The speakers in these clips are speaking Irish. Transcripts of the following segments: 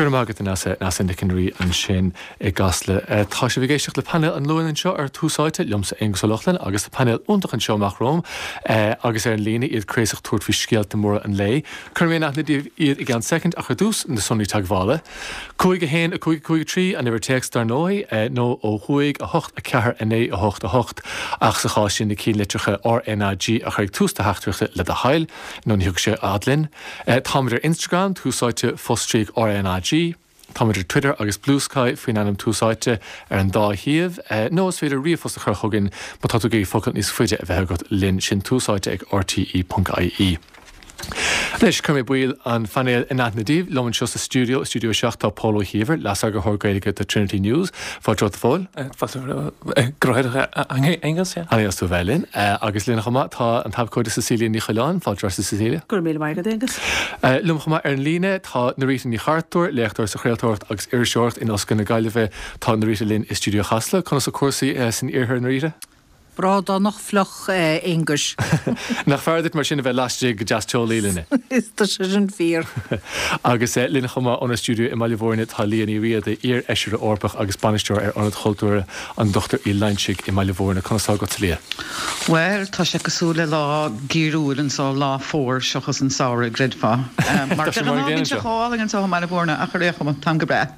Go raibh maith agat Neasa, Neasa Nic an Rí ansin i gCasla. Tá sibh ag éisteacht le painéal an Luain anseo ar Tús Áite, liomsa Aonghus Ó Lochlainn agus tá painéal iontach anseo amach romham agus ar an líne, iad craosach tabhairt faoi scéalta móra an lae. Cuirfidh mé in aithne daoibh iad i gceann soicind ach ar dtús, na sonraí teagmhála. 5 1 5 5 3 an uimhir téacs dar ndóigh, nó ó thuaidh, 8 4 9 8 8 ach sa chás sin na cinnlitreacha RnaG a chur ag tús do theachtaireachta le do thoil, nó ní thiocfaidh sé a fhad linn. Táimid ar Instagram, Tús Áite, fostríoc RnaG. Táimid ar Twitter agus Bluesky faoin ainm Tús Áite ar an dá shuíomh. Nó is féidir ríomhphost a chur chugainn má tá tú ag iarraidh focal níos faide a bheith agat linn, sin túsáite ag rte.ie. Anois, cuirfidh mé baill an phainéil in aithne daoibh. Liom anseo sa stiúideo, i Stiúideo 7, tá Pól Ó hÍomhair, Leas-Eagarthóir Gaeilge do Trinity News. Fáilte romhat, a Phóil. Fáilte romhat, a Aonghus. Ana dheas tú a bheith linn. Agus linn chomh maith tá an t-abhcóide Cecilia Ní Choileáin. Fáilte romhat, a Cecilia. Go raibh míle maith agat, Aonghus. Liom chomh maith ar an líne tá Norita Ní Chartúir, léachtóir sa chraoltóireacht agus iriseoireacht in Ollscoil na Gaillimhe. Tá Norita linn i stiúideo Chasla. Conas tá cúrsaí san iarthar, Norita? Brádánach fliuch, a Aonghuis. Nach fearr duit mar sin a bheith laistigh go deas teolaí linne? Tá sé sin fíor. Agus linn chomh maith óna stiúideo i mBaile Bhúirne tá Liadh Ní Riada, iar-Fheisire Eorpach agus Bainisteoir ar Ionad Chultúrtha an Dr Uí Loingsigh i mBaile Bhúirne. Conas tá agatsa, Liadh? Bhuel, tá sé cosúil le lá geimhriúil anso, lá fómhair seachas an samhradh, gcreidfeá. Mar de ghnáth bíonn sé chomh álainn anso i mBaile Bhúirne ach ar aon chuma, táim go breá.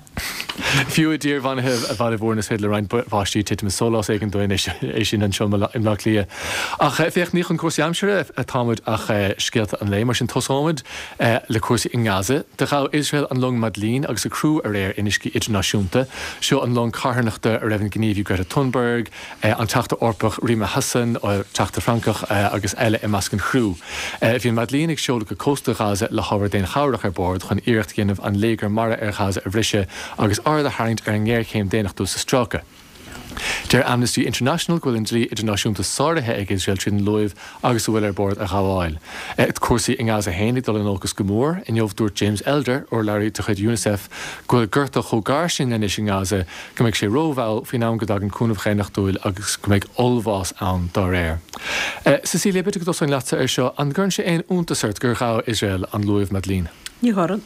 Fiú i dtír bheannaithe Bhaile Bhúirne is féidir le roinnt báistí titim i sólás éigin dúinn é sin anseo i mBleá Cliath. Ach féach, ní chun cúrsaí aimsire atáimid ach scéalta an lae. Mar sin tosóimid le cúrsaí i nGaza. Do ghabh Iosrael an long Madleen agus a criú aréir in uiscí idirnáisiúnta. Seo an long carthanachta a raibh an gníomhaí Greta Thunberg, an Teachta Eorpach Rima Hassan, Teachta Francach agus eile i measc an chriú. Bhí an Madleen ag seoladh go cósta Ghaza le hábhar daonchabhrach ar bord chun iarracht a dhéanamh an léigear mara ar Ghaza a bhriseadh agus aird a tharraingt ar an ngéarchéim daonnachtúil sa stráice. Deir Amnesty International go bhfuil an dlí idirnáisiúnta sáraithe ag Iosrael tríd an luamh agus a bhfuil ar bord a ghabháil. Cúrsaí i nGaza féin ag dul in olcas go mór. Inniu dúirt James Elder, urlabhraí de chuid Unicef, go bhfuil gorta chomh gar sin anois i nGaza go mbeidh sé rómhall faoin am go dtagann cúnamh dhaonnachtúil agus go mbeidh ollbhás ann dá réir. Cecilia, b'fhéidir go dtosóinn leatsa ar seo. An gcuireann sé aon iontas ort gur ghabh Iosrael an luamh Madleen? Ní chuireann.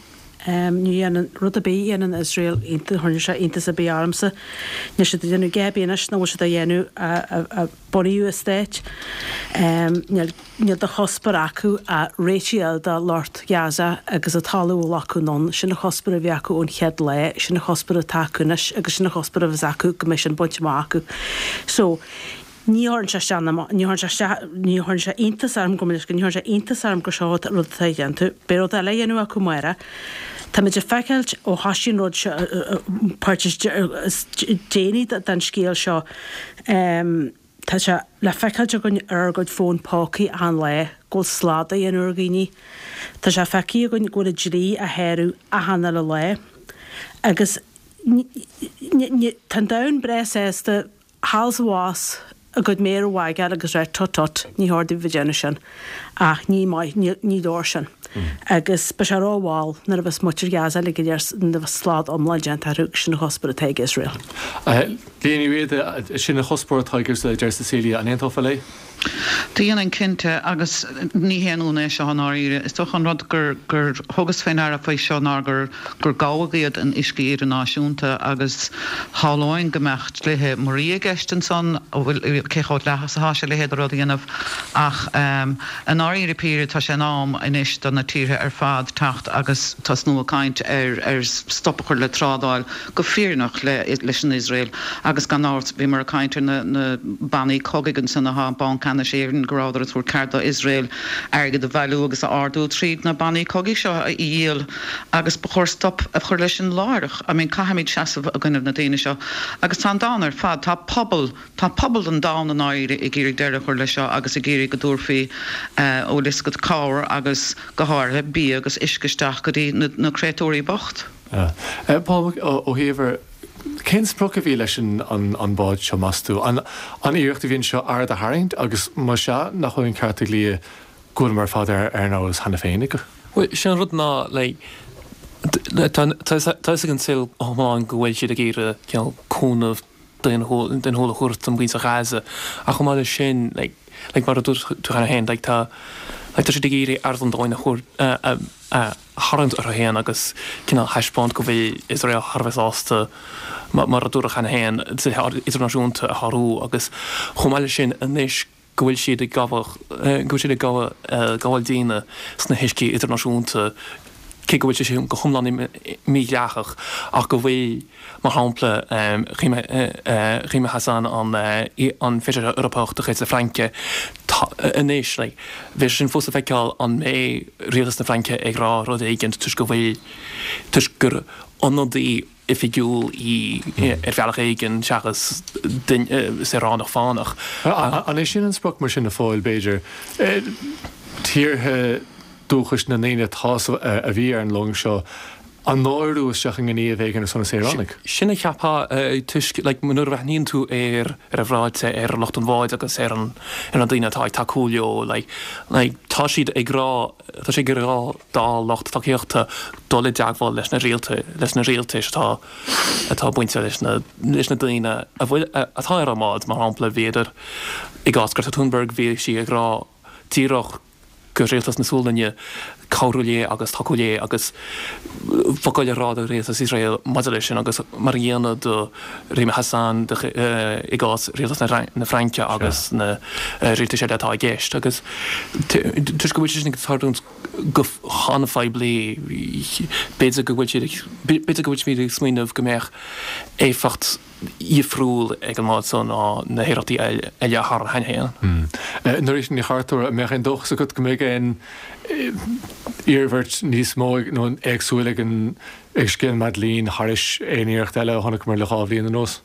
Ní dhéanann rud ar bith a dhéanann Iosrael iontas, chuireann sé iontas ar bith ormsa. Níl siad ag déanamh a dhath ar bith anois nach bhfuil siad á dhéanamh ó bunaíodh an stát. Níl. Níl de chuspóir acu ach réitigh a fháil do lucht Ghaza agus an talamh a ghlacadh anonn. Sin an chuspóir a bhí acu ón chéad lá, sin an chuspóir atá acu anois agus sin an chuspóir a bheas acu go mbeidh sin bainte amach acu. So, ní chuireann sé isteach ná amach, ní chuireann sé isteach, ní chuireann sé iontas orm, gabh mo leithscéal, ní chuireann sé iontas orm gur seo an rud atá á dhéanamh. Beidh rud eile á dhéanamh acu amárach. Táimid ag feiceáilt ó thoisigh an rud seo, páirt is déanaí den scéal seo, Tá sé le feiceáilt againn ar ár gcuid fón pócaí achan lá go bhfuil slad á dhéanamh ar dhaoine. Tá sé feicthe againn go bhfuil an dlí á shárú achan uile lá. Agus tá an domhan breá sásta thall is abhus a gcuid méar a wagáil agus rá tut tut, ní chóir daoibh a bheith ag déanamh sin. Ach ní maith, ní leor sin. Agus beidh sé rómhall nuair a bheas muintir Ghaza uilig go léir, nuair a bheas slad iomlán déanta orthu agus sin an chuspóir atá ag Iosrael. Liadh Ní Riada, Sin an chuspóir atá ag Iosrael, a deir Cecilia. An aontófá léi? Dhéanfainn cinnte, agus ní haon ionadh é seo i ndáiríre. Is dócha an rud gur gur thugas fé ndeara faoi seo ná gur gur gabhadh iad in uiscí idirnáisiúnta agus shamhlóinn go mbeadh dlíthe muirí i gceist ansan, bhfuil, cé chomh dleathach is atá sé a leithéid de rud a dhéanamh. Ach i ndáiríre píre tá sé in am anois do na tíortha ar fad teacht agus tosnú ag caint ar ar stop a chur le trádáil go fírinneach leis an Iosrael agus gan amhras bhíomar ag caint ar na bannaí cogaidh ansan atá Banc Ceannais Éireann go rabhadar ag tabhairt cead do Iosrael airgead a bhailiú agus a ardú tríd na bannaí cogaidh seo a dhíol agus ba chóir stop a chur leis sin láithreach. I mean caithfimid seasamh i gcoinnibh na daoine seo agus tá an domhan ar fad, tá pobal, tá pobal an domhain i ndáiríre ag iarraidh deireadh a chur leis seo agus ag iarraidh go dtabharfaí bhfuil fhios agat cabhair agus go háirithe bia agus uisce isteach go dtí na créatúirí bocht. Paul Ó hÍomhair, cén sprioc a bhí leis an bád seo, meas tú? An iarracht a bhí anseo aird a tharraingt agus má sea, nach bhfuil an ceart ag Liadh go bhfuileamar ar fad ar an eolas cheana féin? Bhuel, sin an rud ná, like, tá a fhios ag an saol iomlán go bhfuil siad ag iarraidh, you know, cúnamh daonnúil a thabhairt don mhuintir Ghaza ach chomh maith leis sin, like. Like mar a dúirt tú cheana féin, like tá, like tá siad ag iarraidh aird an domhain a thabhairt, a, a tharraingt orthu féin agus cineál thaispeáint go bhfuil Iosrael thar a bheith sásta, mar a dúradh cheana féin, dlíthe idirnáisiúnta a shárú agus chomh maith leis sin anois go bhfuil siad ag gabhadh, go bhfuil siad ag gabhadh, gabháil daoine sna huiscí idirnáisiúnta, cé go bhfuil sé sin go hiomlán mídhleathach ach go bhfuil. Mar shampla, Rima Hassan, an Feisire Eorpach de chuid na Fraince, anois, like, bheadh sé sin fós le feiceáil an mbeidh rialtas na Fraince ag rá rud éigin toisc go bhfuil, toisc gur ionadaí oifigiúil í ar bhealach éigin seachas saoránach fánach. An é sin an sprioc mar sin a Phóil, b'fhéidir? Tíortha dúchais na ndaoine atá sa, a bhí ar an long seo a náiriú isteach i ngníomh éigin ar son na saoránaigh. Sin a cheapfá toisc like nuair a bhreathnaíonn tú ar ar a bhráite ar lucht an bháid agus ar an ar na daoine atá ag tacú leo like like tá siad ag rá tá siad ag rá dá lucht tacaíochta dul i dteagmháil leis na rialta leis na rialtais atá atá bainte leis na leis na daoine a bhfuil atá ar an mbád mar shampla bhíodar i gcás Greta Thunberg bhí sí ag rá díreach go rialtas na Sualainne cabhrú léi agus tacú léi agus focal a rá do rialtas Iosrael maidir leis sin agus mar an gcéanna do Rima Hassan i gcás rialtas na Fraince agus na rialtais eile atá i gceist agus toisc go bhfuil sé sin ag tarlúint go han-phoiblí b'fhéidir go bhfuil siad b'fhéidir go bhfuil siad ag smaoineamh go mbeadh éifeacht dhifriúil ag an mbád so ná na hiarrachtaí eile a tharla cheana féin. Norita Ní Chartúir, an mbeadh aon dóchas agat go mbeidh aon iarmhairt níos mó nó éagsúil ag an ag scéal Madeleine thairis aon iarracht eile a chonaiceamar le 2 bhliain anuas?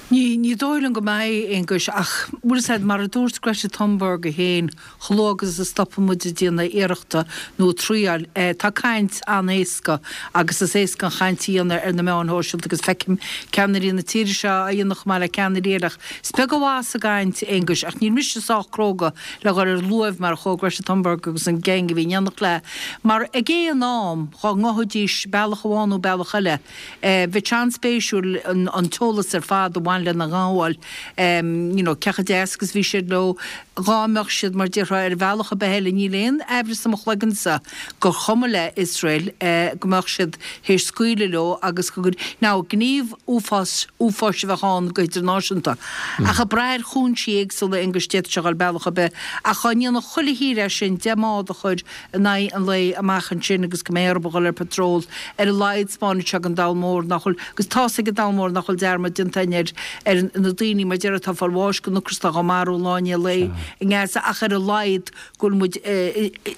Ní, ní dóigh liom go mbeidh, Aonghus, ach, bhfuil fhios a'd, mar a dúirt Greta Thunberg í féin, Chomh luath agus a stopann muid ag déanamh iarrachta nó ag triáil, tá caint an-éasca agus is éasca an chaint a dhéanamh ar na meáin shóisialta agus feicim ceannairí na tíre seo á dhéanamh chomh maith le ceannairí eile ach is beag an mhaith sa gcaint, Aonghus, ach níl mise sách cróga le dhul ar luaimh mar a chuaigh Greta Thunberg agus an gang a bhí in éineacht léi mar ag aon am dhá ngabhfaidís bealach amháin nó bealach eile Bheadh sé an-spéisiúil an t-eolas ar fad a bhain lena ngabháil, you know, cé chomh deas agus bhí siad leo, dhá mbeadh siad, mar déarfá, ar bhealach ar bith eile, níl aon aimhreas i mo chloigeannsa gur chuma le Iosrael go mbeadh siad théis scaoileadh leo agus go, now, gníomh uafáis, uafáis a bheadh ann go hidirnáisiúnta. Ach ag brath ar chúinsí éagsúla, Aonghus, d'fhéadfadh sé a dhul bealach ar bith. Ach dhá ndéanfadh chuile thír é sin, 10 mbád a chur in aghaidh an lae amach ansin agus go mbeidh orthu a dhul ar patrol, ar a laghad 'spáinfidh sé don domhan mór nach bhfuil, agus tá's ag an domhan mór nach bhfuil dearmad déanta againn ar, ar na daoine mar déarfá atá ag fáil bháis den ocras atá á marú lá i ndiaidh lae i nGaza ach ar a laghad go bhfuil muid,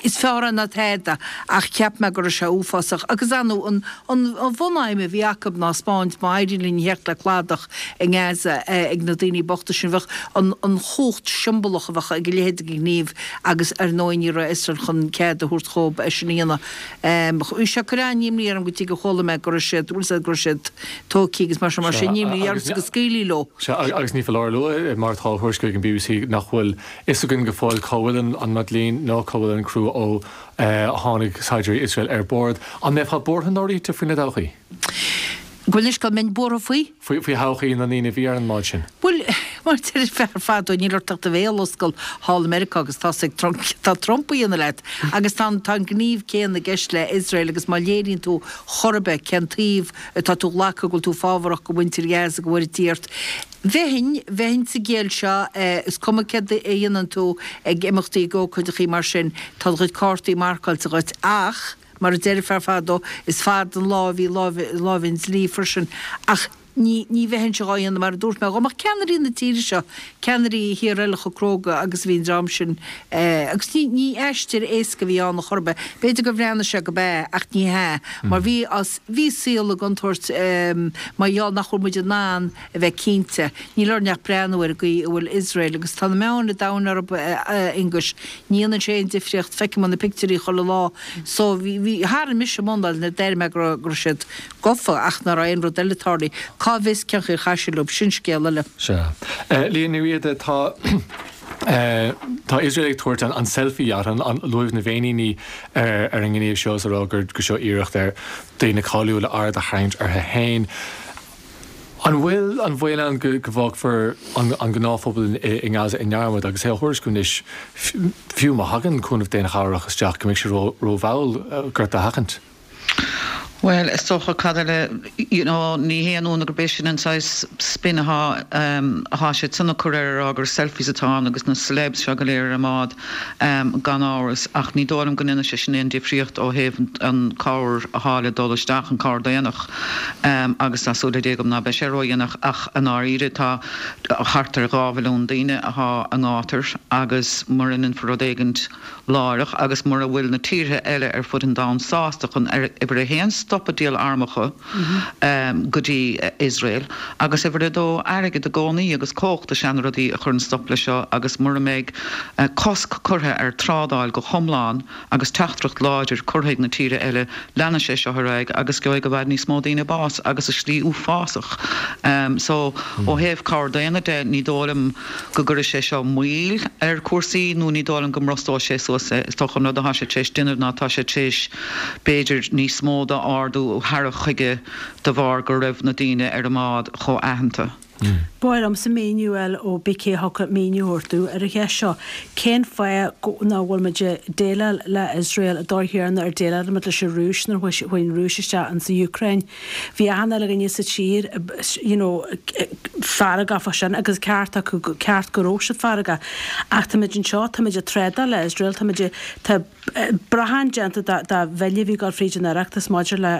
is fearr é ná tada ach cheap mé go raibh sé uafásach agus ar ndóigh an, an, an bhunaidhm a bhí acu ná 'spáint má éiríonn linn a theacht le cladach i nGaza ag na daoine bochta sin bheadh an, an chumhacht siombalach a bheadh ag a leithéid de ghníomh agus ar ndóigh ní raibh Iosrael chun cead a thabhairt dhóibh é sin a dhéanamh. Bhí sé ag cur an-imní orm go dtí gur chuala mé go raibh siad, bhfuil 'fhios a'd, go raibh siad tógtha agus mar sin, mar sin ní ormsa go scaoilfí leo. Sea, agus ní foláir a lua, mar atá á thuairisciú ag an bbc, nach bhfuil fhios againn go fóill cá bhfuil an Madeleine ná cá bhfuil an criú ó tháinig saighdiúirí Iosrael ar bord. An mbeifeá buartha, Norita, faoina dtodhchaí? Bhuel anois, go mbeinn buartha faoi? Faoi thodhchaí na ndaoine a bhí ar an mbád sin. Bhuel, mar a deir fear fadó, níl ort ach do bhéal a oscailt thall i Meiriceá agus tá's ag Trump, tá Trump a dhéanamh leat. Agus tá an, tá an gníomh céanna i gceist le Iosrael agus má léiríonn tú chor ar bith cén taobh atá tú a ghlacadh, go bhfuil tú fábharach go mhuintir Ghaza, go bhfuil Dia ort. Bheinn, bheinn sa gciall seo, is cuma céard a dhéanann tú ag imeachtaí ag ócáideachaí mar sin, tá do chuid cártaí marcáilte dhuit ach, Mar a deireadh fear fadó, is fada an lá a bhí láimh an dlí freisin, ach ní, ní bheinnse dhá dhéanamh, mar a dúirt mé, dhá mbeadh ceannairí na tíre seo, ceannairí thíortha eile chomh cróga agus a bhí an dream sin, agus ní, ní aistear éasca a bhí ann a chor ar bith. B'fhéidir gur bhreathnaigh sé go b'ea, ach ní hea, mar bhí, bhí saol i gcontúirt, mar gheall nach bhfuil muid in ann a bheith cinnte. Níl orainn ach breathnú ar an gcaoi a bhfuil Iosrael, agus tá na meáin an domhain orthu, a Aonghuis. Ní dhéanann sé aon difríocht, feicim na pictiúirí chuile lá. So, bhí, bhí, tharraing mise m'anáil nuair a d'airigh mé go raibh, go raibh siad gafa ach nach raibh aon rud eile tarlaithe. Cá bhfios cén chaoi ar chaith siad leo, sin scéal eile. Sea. Liadh Ní Riada, tá, tá Iosrael ag tabhairt an, an selfie yacht, an, an luaimh na bhféiníní ar, ar an ngníomh seo is a rá gur, gur seo iarracht ar daoine cáiliúla aird a tharraingt orthu féin. An bhfuil an baol ann go bhfágfar an gnáthphobal i nGaza i ndearmad agus é á thuairisciú anois, fiú má thagann cúnamh daonchabhrach isteach, go mbeidh sé rómhall gorta a sheachaint? Bhuel, is dócha, cad eile, you know, ní haon ionadh gurb é sin an saghas spin atá, atá siad san ag cur air, a rá gur selfies atá ann agus na celebs seo go léir ar an mbád, gan amhras, ach ní dóigh liom go ndéanfaidh sé sin aon difríocht ó thaobh an cabhair atá le dul isteach, an cabhair daonnach, agus tá súil le Dé agam ná beidh sé ródhéanach, ach i ndáiríre tá thart ar 2 mhilliún daoine atá i ngátar agus mura ndéanfar rud éigint, láithreach agus mura bhfuil na tíortha eile ar fud an domhain sásta chun, uimhir a haon, stop ag díol armacha go dtí Iosrael agus uimhir a dó, airgead i gcónaí agus cumhacht is ea na rudaí a chuireann stop leis seo agus mura mbeidh cosc curtha ar trádáil go hiomlán agus teachtaireacht láidir curtha ag na tíortha eile leanfaidh sé seo ar aghaidh agus gheobhaidh i bhfad níos mó daoine bás agus i slí uafásach. So ó thaobh cabhair daonna de ní dóigh liom go gcuirfidh sé seo moill ar chúrsaí nó ní dóigh liom go mbrostóidh sé suas é. Is dócha an rud atá sé tar éis déanamh ná tá sé tar éis b'fhéidir níos mó d'ardú a tharrac chuige de bharr go raibh na daoine ar an mbád chomh aitheanta. Ba mhaith liomsa míniú a fháil ó bith cé a thiocfadh míniú a thabhairt domh ar an cheist seo. Cén fáth nach bhfuil muid ag déileáil le Iosrael an dóigh chéanna ar déileáil muid leis an Rúis nuair a chuaigh an Rúis isteach insa Úcráin? Bhí achan uile dhuine sa tír you know feargach fá sin agus ceart acu, ceart go raibh siad feargach. Ach táimid anseo, táimid ag trádáil le Iosrael, táimid ag, tá brachán déanta de de bhille a bhí ag dul fríd an Oireachtas maidir le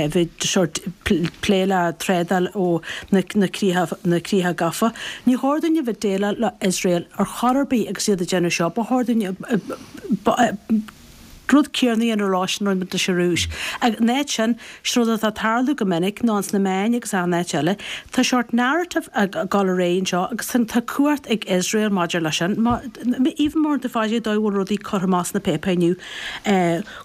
bheith sórt plé le trádáil ó na na críocha na críocha gafa. Ní chóir dúinn a bheith ag déileáil le Iosrael ar chor ar bith agus iad ag déanamh seo. Ba chóir dúinn rud céanna a dhéanamh leo sin a rinne muid leis an Rúis. Ag an áit sin, sin rud atá ag tarlú go minic ná ins na meáin agus achan áit eile, tá sórt narrative ag dul ar aghaidh anseo agus tá cumhacht ag Iosrael maidir leis sin. Even more the fáidh dóigh a bhfuil rudaí curtha amach sna páipéir inniu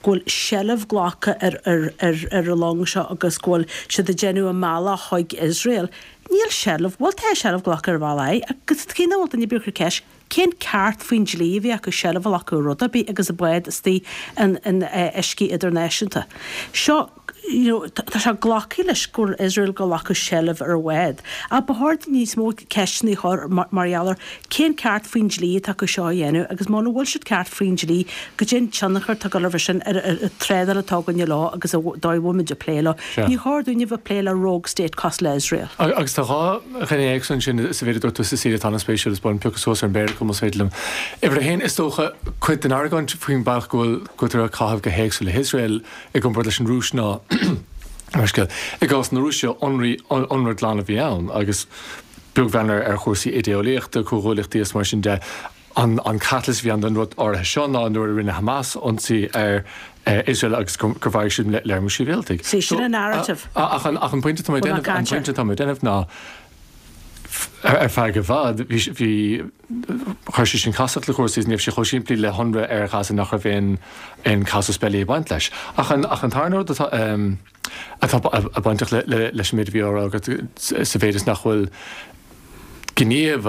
go bhfuil seilbh glactha ar ar ar ar an long seo agus go bhfuil siad ag déanamh a mbealach chuig Iosrael. Níl seilbh, bhuel tá seilbh glactha ar bhealach agus cé nach bhfuil duine ar bith ag cur ceist Cén ceart faoin dlí a bhí acu seilbh a ghlacadh ar rud ar bith agus an bád istigh in uiscí idirnáisiúnta? Seo, you know, tá sé glactha leis go bhfuil Iosrael ag glacadh seilbh ar an bhád. Ach ba chóir níos mó ceisteanna a chur mar gheall ar cén ceart faoin dlí atá acu seo a dhéanamh agus muna bhfuil siad ceart faoin dlí, goidé an tionchar atá ag dul a bheith sin ar an trádáil atá againne leo agus an dóigh a bhfuil muid ag plé leo. Ní chóir dúinn a bheith ag plé le rogue state cosúil le Iosrael. Agus tá 2 ghné éagsúla ansin sa mhéid a dúirt tú Cecilia atá an-spéisiúil is ba mhaith liom piocadh suas ar an bpéire acu más féidir liom. Uimhir a haon, is dócha, cuid den argóint faoin bealach go bhfuil go bhfuiltear ag caitheamh go héagsúil le hIosrael i gcomparáid leis an Rúis ná mar scéal. I gcás na Rúise, ionradh glan a bhí ann agus beag bheann ar chúrsaí idé-eolaíochta, comhghuaillíochtaí is mar sin de, An catalyst a bhí ann don rud áirithe seo ná nuair a rinne Hamas ionsaí ar Iosrael agus gur mharaigh siad léar mór sibhialtaigh. See, sin an narrative. Ach an pointe atá mé ag déanamh, an pointe atá mé ag déanamh ná ar feadh i bhfad bhí, bhí, chuir sé sin casacht le cúrsaí is ní raibh sé chomh simplí le hionradh ar Ghaza nach raibh aon, aon casus belli ag baint leis. Ach an, ach an tarna rud atá, atá bainteach leis an méid a bhí á rá agat sa mhéid is nach bhfuil gníomh,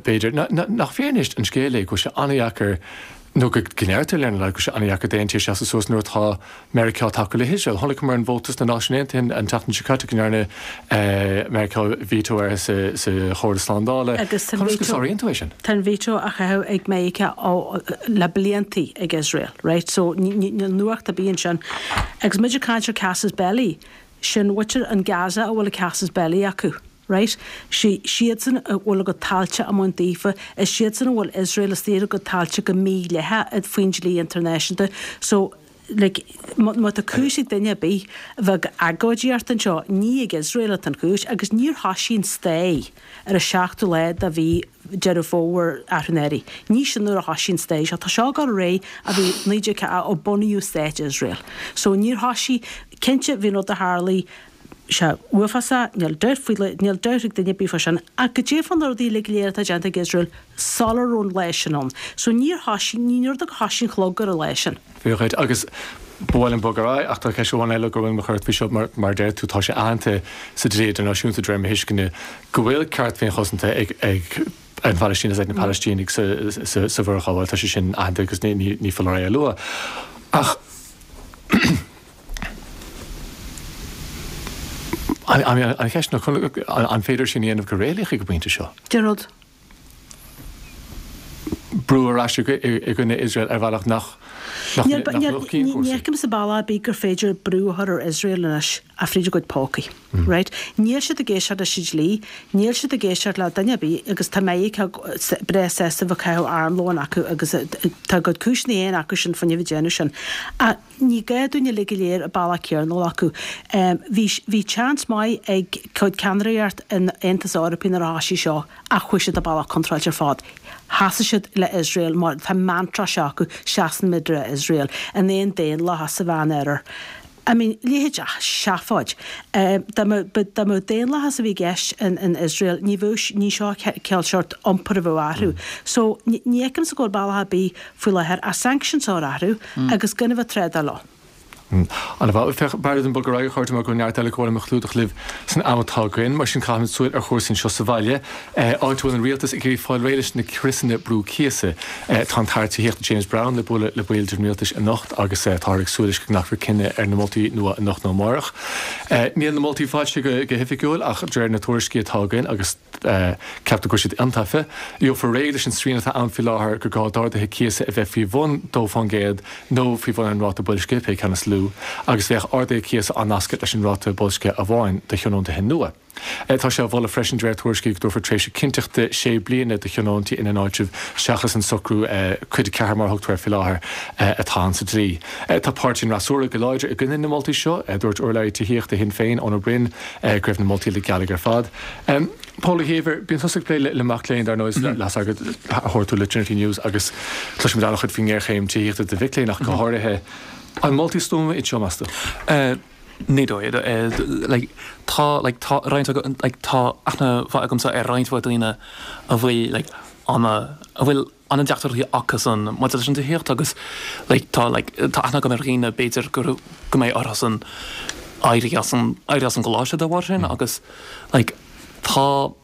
b'fhéidir, nach fíor anois an scéal é go bhfuil sé an-dheacair, nó go ndeirtear lena laghad go bhfuil sé an-dheacair d'aon tír seasamh suas nuair atá Meiriceá ag tacú le hIosrael. Chonaiceamar an vóta sna Náisiúin Aontaithe an tseachtain seo caite go ndearna Meiriceá veto air sa Chomhairle Slándála. Agus tá an Conas go sáraíonn tú é sin? Tá an veto á chaitheamh ag Meiriceá le bliantaí ag Iosrael, right? So níl nuacht ar bith ansin. Agus muid ag caint ar casus belli, sin muintir an Gaza a bhfuil an casus belli acu. Right? Sí siadsan a bhfuil a gcuid tailte á mbaint daofa, is siadsan a bhfuil Iosrael istigh ar a gcuid tailte go mídhleathach faoin dlí idirnáisiúnta. So, like, má tá cúis ag duine ar bith a bheith ag agóidíocht anseo, ní ag Iosrael atá an chúis agus níor thoisigh an stair ar an seachtú lá de mhí Deireadh Fómhair athrú. Ní sin nuair a thoisigh an stair seo. Tá seo ag dul ar aghaidh ó bhí 19 ó bunaíodh stát Iosrael. So níor thoisigh, cinnte bhí an rud a tharlaigh, sé uafásach, níl dabht faoi, níl dabht ag duine ar bith fá sin, ach goidé fá na rudaí uilig go léir atá déanta ag Iosrael sula raibh an lá sin ann. So níor thoisigh, ní rud gur thoisigh an clog ar an lá sin. Fíor dhuit. Agus ba mhaith liom bogadh ar aghaidh, ach tá ceist amháin eile gur mhaith liom a chur ort faoi seo, mar, mar a deir tú, tá sé aitheanta sa dlí idirnáisiúnta, de réir mo thuisceana, go bhfuil ceart féinchosanta ag, ag an Phalaistín agus ag na Palaistínigh sa, sa, sa bhforghabháil. Tá sé sin aitheanta agus ní, ní, ní foláir é a lua. Ach. An cheist ná an féidir sin a dhéanamh go réalaíoch ag an bpointe seo? Cén rud? Brú ar ais i gcoinne Iosrael ar bhealach nach luchtaíonn cúrsaí. Ní fheicimse bealach ar bith gur féidir brú a chur ar Iosrael anois ach fríd a gcuid pócaí. Right? Níl siad ag éisteacht leis an dlí, níl siad ag éisteacht le duine ar bith agus tá Meiriceá breá sásta bheith ag caitheamh armlóin acu agus tá a gcuid cúiseanna féin acu sin fá choinne bheith ag déanamh sin. Ach ní gá dúinn uilig go léir an bealach céanna a dhul acu. Bhí, bhí chance maith ag cuid ceannaireacht an Aontais Eorpaigh nuair a thoisigh seo ach chuaigh siad an bealach contráilte ar fad. Sheasaigh siad le Iosrael mar tá mantra seo acu, seasann muid le Iosrael in aon daonlathas sa Mheánoirthear. I mean, leithéid de sheafóid. Dá mbeadh, dá mbeadh daonlathas a bhí i gceist in, in Iosrael, ní bheadh, ní seo cineál seort iompair a bheadh orthu. So, ní fheicimse go bhfuil bealach ar bith faoi láthair ach sanctions a chur orthu agus gan a bheith ag trádáil leo. An-mhaith. Féach, b'fhearr dom bogadh ar aghaidh, a chairde, mar go bhfuil neart eile gur mhaith liom a chlúdach libh san am atá againn. Mar sin, caithfimid súil ar chúrsaí anseo sa bhaile, áit a bhfuil an rialtas ag iarraidh fáil réidh leis na criosanna brú cíosa. Tá an tAire Tithíochta James Browne le bualadh le baill den rialtas anocht agus táthar ag súil leis go nglacfar cinneadh ar na moltaí nua anocht nó amárach. Níl na moltaí foilsithe go hoifigiúil ach de réir na tuairiscí atá againn agus ceaptar go bhfuil siad iontaofa, gheofar réidh leis an srian atá ann faoi láthair gur gá d'arduithe cíosa a bheith faoi bhun 2% nó faoi bhun an ráta boilscithe, pé ceann is lú, agus bheadh arduithe cíosa á nascadh leis an ráta boilscithe amháin do thionóntaithe nua. Tá sé á mholadh freisin, de réir tuairiscí, go dtabharfar tréimhse cinnteachta sé bliana do thionóntaí ina n-áitreabh seachas an socrú Cuid 4 mar a thugtar air faoi láthair atá ann sa dlí. Tá páirtí an fhreasúra go láidir i gcoinne na moltaí seo. Dúirt urlabhraí tithíochta Shinn Féin, Eoin Ó Broin, go raibh na moltaí le gealaigh ar fad. Pól Ó hÍomhair, bíonn tusa ag plé le mac léinn, dar ndóigh, leas agat a thabhairt tú le Trinity News agus cloisimid an-chuid faoin ngéarchéim tithíochta do mhic léinn ach go háirithe. An moltaí stuama iad seo, meas tú? Ní dóigh. Like, tá, like, tá roinnt agam, like, tá aithne mhaith agamsa ar roinnt mhaith daoine a bhfuil, like, ana, a bhfuil an-deacrachtaí acusan maidir leis an tithíocht agus, like, tá, like, tá aithne agam ar dhaoine b'fhéidir go, go mbeidh orthusan éirí as an, éirí as an gcoláiste dá bharr sin agus, like, tá,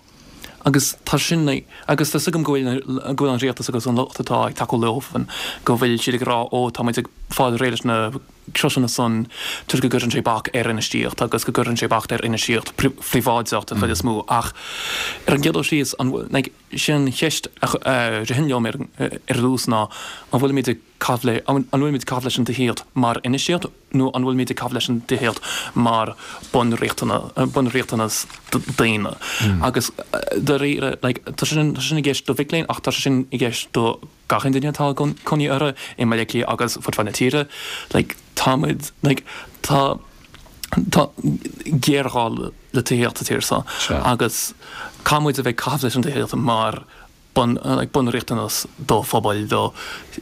Agus tá sin, agus tá 's agam go bhfuil, go bhfuil an rialtas agus an lucht atá ag tacú leofa, go bhfuil siad ag rá ó tá muid ag fáil réidh leis na criosanna san toisc go gcuireann sé bac ar infheistíocht agus go gcuireann sé bac ar infheistíocht phríobháideach den chuid is mó ach ar an gcéad dul síos, an bhfuil, like, sin an cheist a ritheann liom ar, ar dtús ná an bhfuilimid ag caitheamh le, an bhfuilimid ag caitheamh leis an tithíocht mar infheistíocht nó an bhfuilimid ag caitheamh leis an tithíocht mar bunriachtanas daonna? Agus dáiríre, like, tá sé sin, tá sé sin i gceist do mhic léinn ach tá sé sin i gceist do gach aon duine atá cónaí orthu i mBaile Átha Cliath agus fud fad na tíre. Like, táimid, like, tá, tá géarghá le tithíocht sa tír seo agus caithfidh muid a bheith ag caitheamh leis an tithíocht mar bun, like, bunriachtanas do phobail, do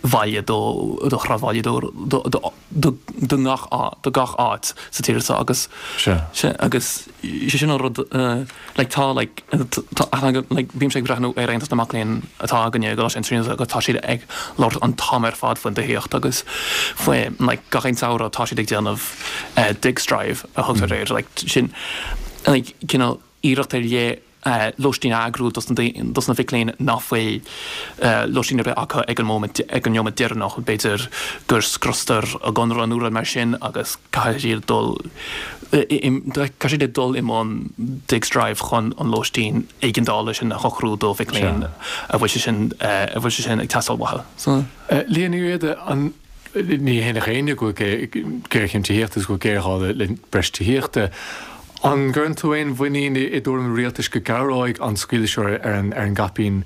bhaile, do, do shráidbhaile, do, do, do, do, do ngach á, do gach áit sa tír seo agus, Sea. sea, agus sé sin an rud, like, tá, like, tá aithne agam, like, bímse ag breathnú ar Aontas na Mac Léinn atá againne i gColáiste na Tríonóide agus tá siad ag labhairt an t-am ar fad faoin tithíocht agus faoi, like, gach aon samhradh tá siad ag déanamh Digs Drive a thugtar air, like, sin, like, cineál iarracht ar leith lóistín a eagrú dos na mhic léinn nach bhfuil lóistín ar bith acu ag an móimint, ag an neomat deireanach. B'fhéidir gur scriostar a gconradh nó rud mar sin agus caithfidh siad dul, caithfidh siad dul i mbun Digs Drive chun an lóistín éigeandála sin a shocrú do mhic léinn a bhfuil sé sin, a bhfuil sé sin ag teastáil uathu. So. Liadh Ní Riada, an, ní hionadh éinne go bhfuil géarchéim tithíochta agus go bhfuil géarghá le breis tithíochta. An gcuireann tú aon mhuinín i dtuairim an rialtais go gcabhróidh an scaoileadh seo ar an gcaipín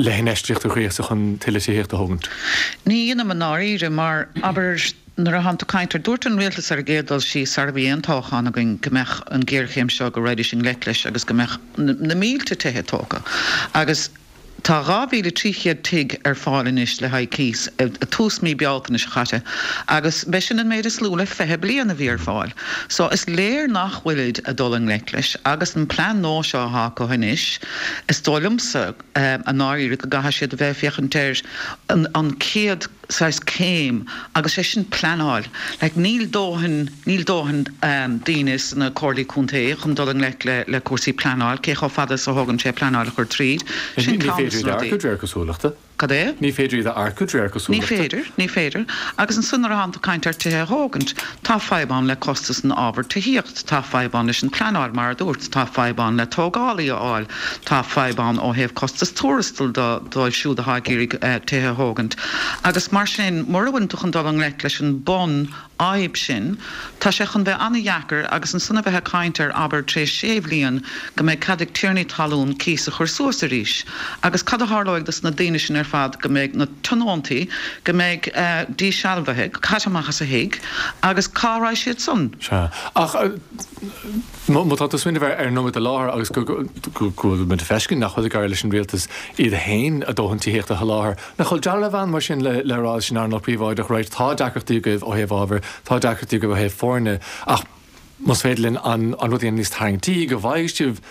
le hinfheistíocht a ghríosadh chun tuilleadh tithíochta a thógaint? Ní dhéanaim i ndáiríre, mar, abair, nuair atánn tú ag caint ar, dúirt an rialtas ar an gcéad dul síos, sara bhí aon toghchán againn, go mbeadh an ghéarchéim seo, go raghaidís i ngleic leis agus go mbeadh na mílte tithe tógtha. Agus. Tá 2,300 tigh ar fáil anois le haghaidh cíos, tús mí Bealtaine seo chaite, agus b'é sin an méid is lú le 20 bliain a bhí ar fáil. So is léir nach bhfuilid a dul i ngleic leis agus an plean nua seo atá acu anois, is dóigh liomsa i ndáiríre go gcaithfidh siad a bheith ag féachaint ar an chéad saghas céim agus sé sin pleanáil. Like níl dóthain, níl dóthain daoine sna comhairlí contae chun dul i ngleic le le cúrsaí pleanáil, cé chomh fada is a thógann sé pleanáil a chur tríd. Sin Ní ceann féidir dos na iad a rudaí. earcú de réir cosúlachta. Cad é? Ní féidir iad a earcú de réir cosúlachta. Ní féidir, ní féidir. Agus ansan nuair atánn tú ag caint ar tithe a thógaint, tá fadhb ann le costas an ábhair tithíocht, tá fadhb ann leis an pleanáil mar a dúirt, tá fadhb ann le tógálaí a fháil, tá fadhb ann ó thaobh costas tuarastail dóibh siúd atá ag iarraidh tithe a thógaint. Agus mar sin, mura bhfuileann tú chun dul i ngleic leis an bun fhadhb sin, tá sé chun bheith an-dheacair agus ansan a bheith ag caint ar, abair, tar éis sé bhliain go mbeidh cead ag tiarnaí talún cíos a chur suas arís. Agus cad a tharlóidh dos na daoine sin ar fad go mbeidh na tionóntaí, go mbeidh dísealbhaithe, caite amach as a thigh agus cá raghaidh siad san? Sea. Ach má tá tú ag smaoineamh ar an nóiméad i láthair agus go bhfuil muid ag feiscint nach bhfuil ag éirí leis an rialtas iad féin a dóthain tithíochta a sholáthar, Nach bhfuil dealramh ann mar sin le rá leis an earnáil phríobháideach, right, tá deacrachtaí agaibh ó thaobh ábhair, tá deacrachtaí agaibh ó thaobh foirne, ach más féidir linn an rud a dhéanamh níos tarraingtí, go bhfaighidh sibh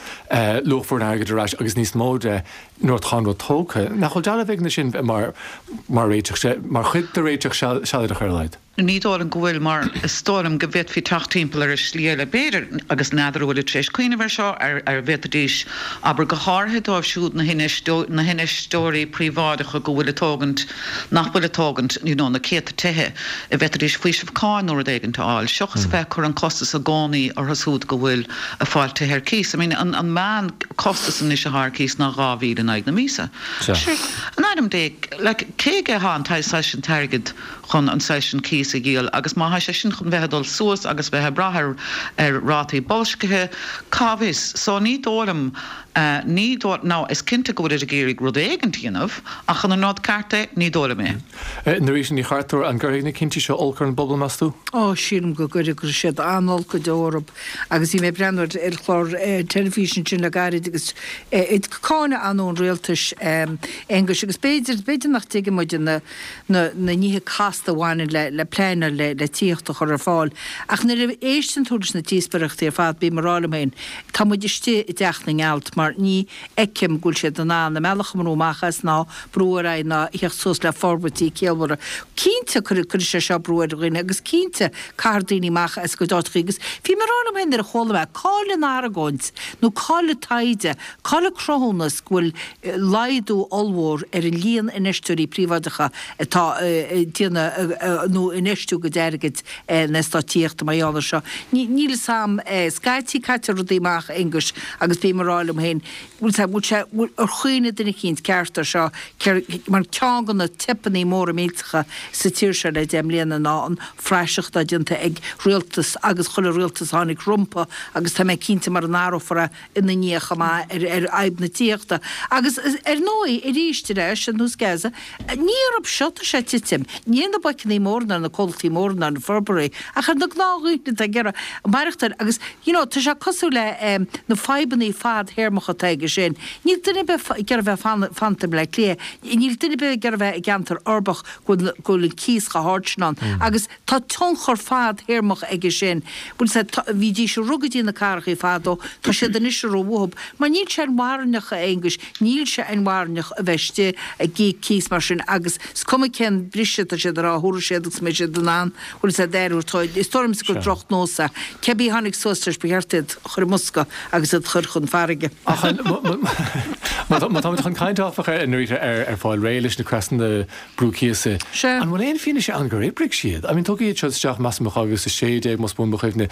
luach bhur n-airgid ar ais agus níos mó de nuair atá an rud tógtha. Nach bhfuil dealramh éigin leis sin mar réiteach, mar chuid de réiteach sealadach ar a laghad? Ní dóigh liom go bhfuil, mar is dóigh liom go bhféadfaí teacht timpeall air i slí eile, b'fhéidir, agus n'fheadar an bhfuilid tar éis cuimhneamh air seo, ar ar bhféadfaidís, abair, go háirithe dóibh siúd, na na hinfheisteoirí príobháideacha go bhfuil ag tógaint, nach bhfuil ag tógaint, you know, na céadta tithe, a bhféadfaidís faoiseamh cáin nó rud éigint a fháil, seachas a bheith ag cur an costas i gcónaí orthu siúd go bhfuil ag fáil tithe ar cíos. I mean, an an meán costas anois atá ar cíos ná 2,000 in aghaidh na míosa. Sure, in ainm Dé, like, cé aige atá an saghas sin t-airgead? chun an saghas sin cíos a dhíol agus má thá sé sin chun bheith ag dul suas agus bheith ag brath ar ar rátaí boilscithe, cá bhfios? So ní dóigh liom, ní dóigh, now is cinnte go bhfuilid ag iarraidh rud éigint a dhéanamh ach an an rud ceart é? Ní dóigh liom é. Norita Ní Chartúir, an gcuirfidh na cinntí seo olc ar an bpobal, meas tú? Ó, sílim go gcuirfidh, cuirfidh siad an-olc go deo orthu agus bhí mé ag breathnú ar chlár teilifíse ansin le gairid agus ag cáineadh ann an rialtais, Aonghus, agus b'fhéidir, b'fhéidir nach dtuigeann muid na, na nithe casta a bhaineann le le pleanáil le le tithíocht a chur ar fáil. Ach nuair a éisteann tú leis na díospóireachtaí ar fad, bím ag rá liom féin, tá muid istigh i dteach na ngealt mar ní fheicim go bhfuil siad in ann a mbealach a mbrú amach as ná brú ar aghaidh ná a theacht suas le forbairtí ciallmhara. Cinnte cuirfidh sé seo brú ar dhaoine agus cinnte caithfear daoine amach as a gcuid áiteachaí agus bhí mé ag rá liom féin nuair a chuala mé, cá'il an argóint nó cá'il an taighde, cá'il an cruthúnas go bhfuil laghdú ollmhór ar an líon infheisteoirí príobháideacha atá ag déanamh nó infheistiú a gcuid airgid in eastáit tithíochta mar gheall air seo. Níl fhios a'm. Scaití caitear rudaí amach, a Aonghuis, agus bím ag rá liom féin, bhfuil sé, bhfuil sé, bhfuil, ar chuimhnigh duine eicínt ceart air seo, mar ceann de na teipeanna móra millteacha sa tír seo le deich mbliana ná an phraiseach atá déanta ag rialtas agus chuile rialtas a tháinig rompu agus tá mé cinnte mura n-athrófar é ina ndiaidh chomh maith ar fhadhb na tithíochta. Agus ar ndóigh, arís ar ais ar nós Gaza, ní orthu seo atá sé ag titim, ní ar na boiceanna móra ná ar na comhlachtaí móra ná ar na forbróirí, ach ar na gnáthdhaoine atá ag iarraidh maireachtáil. Agus you know, tá sé cosúil le na fadhbanna fadthéarmacha atá aige sin. Níl duine ar bith ag iarraidh bheith fanta i mBleá Cliath, níl duine ar bith ag iarraidh bheith i gceantar uirbeach go bhfuil an cíos chomh hard sin ann. Agus Tá tionchar fadthéarmach aige sin. Bhuel, sea, tá, bhídís ag rith go dtí na cathrachaí fadó, tá siad anois ag rith uathub. Mar níl sé inmharthanach, a Aonghuis, níl sé inmharthanach a bheith istigh ag íoc cíos mar sin agus is cuma cén briseadh atá siad ag rá a thabharfaidh siad agus go mbeidh siad in ann, bhuel, sea, d'aire a thabhairt. Is dóigh liomsa gur drochnós é. Cébí a tháinig suas leis, ba cheart iad a chur i mbosca agus iad a chur chun farraige. Ach má táimid chun caint áfach, a Norita, ar fáil réidh leis na creasanna brú cíosa. Sea. An bhfuil aon fianaise ann gur oibrigh siad? I mean, tugadh iad seo isteach, measaim, i 2016, más buan mo chuimhne,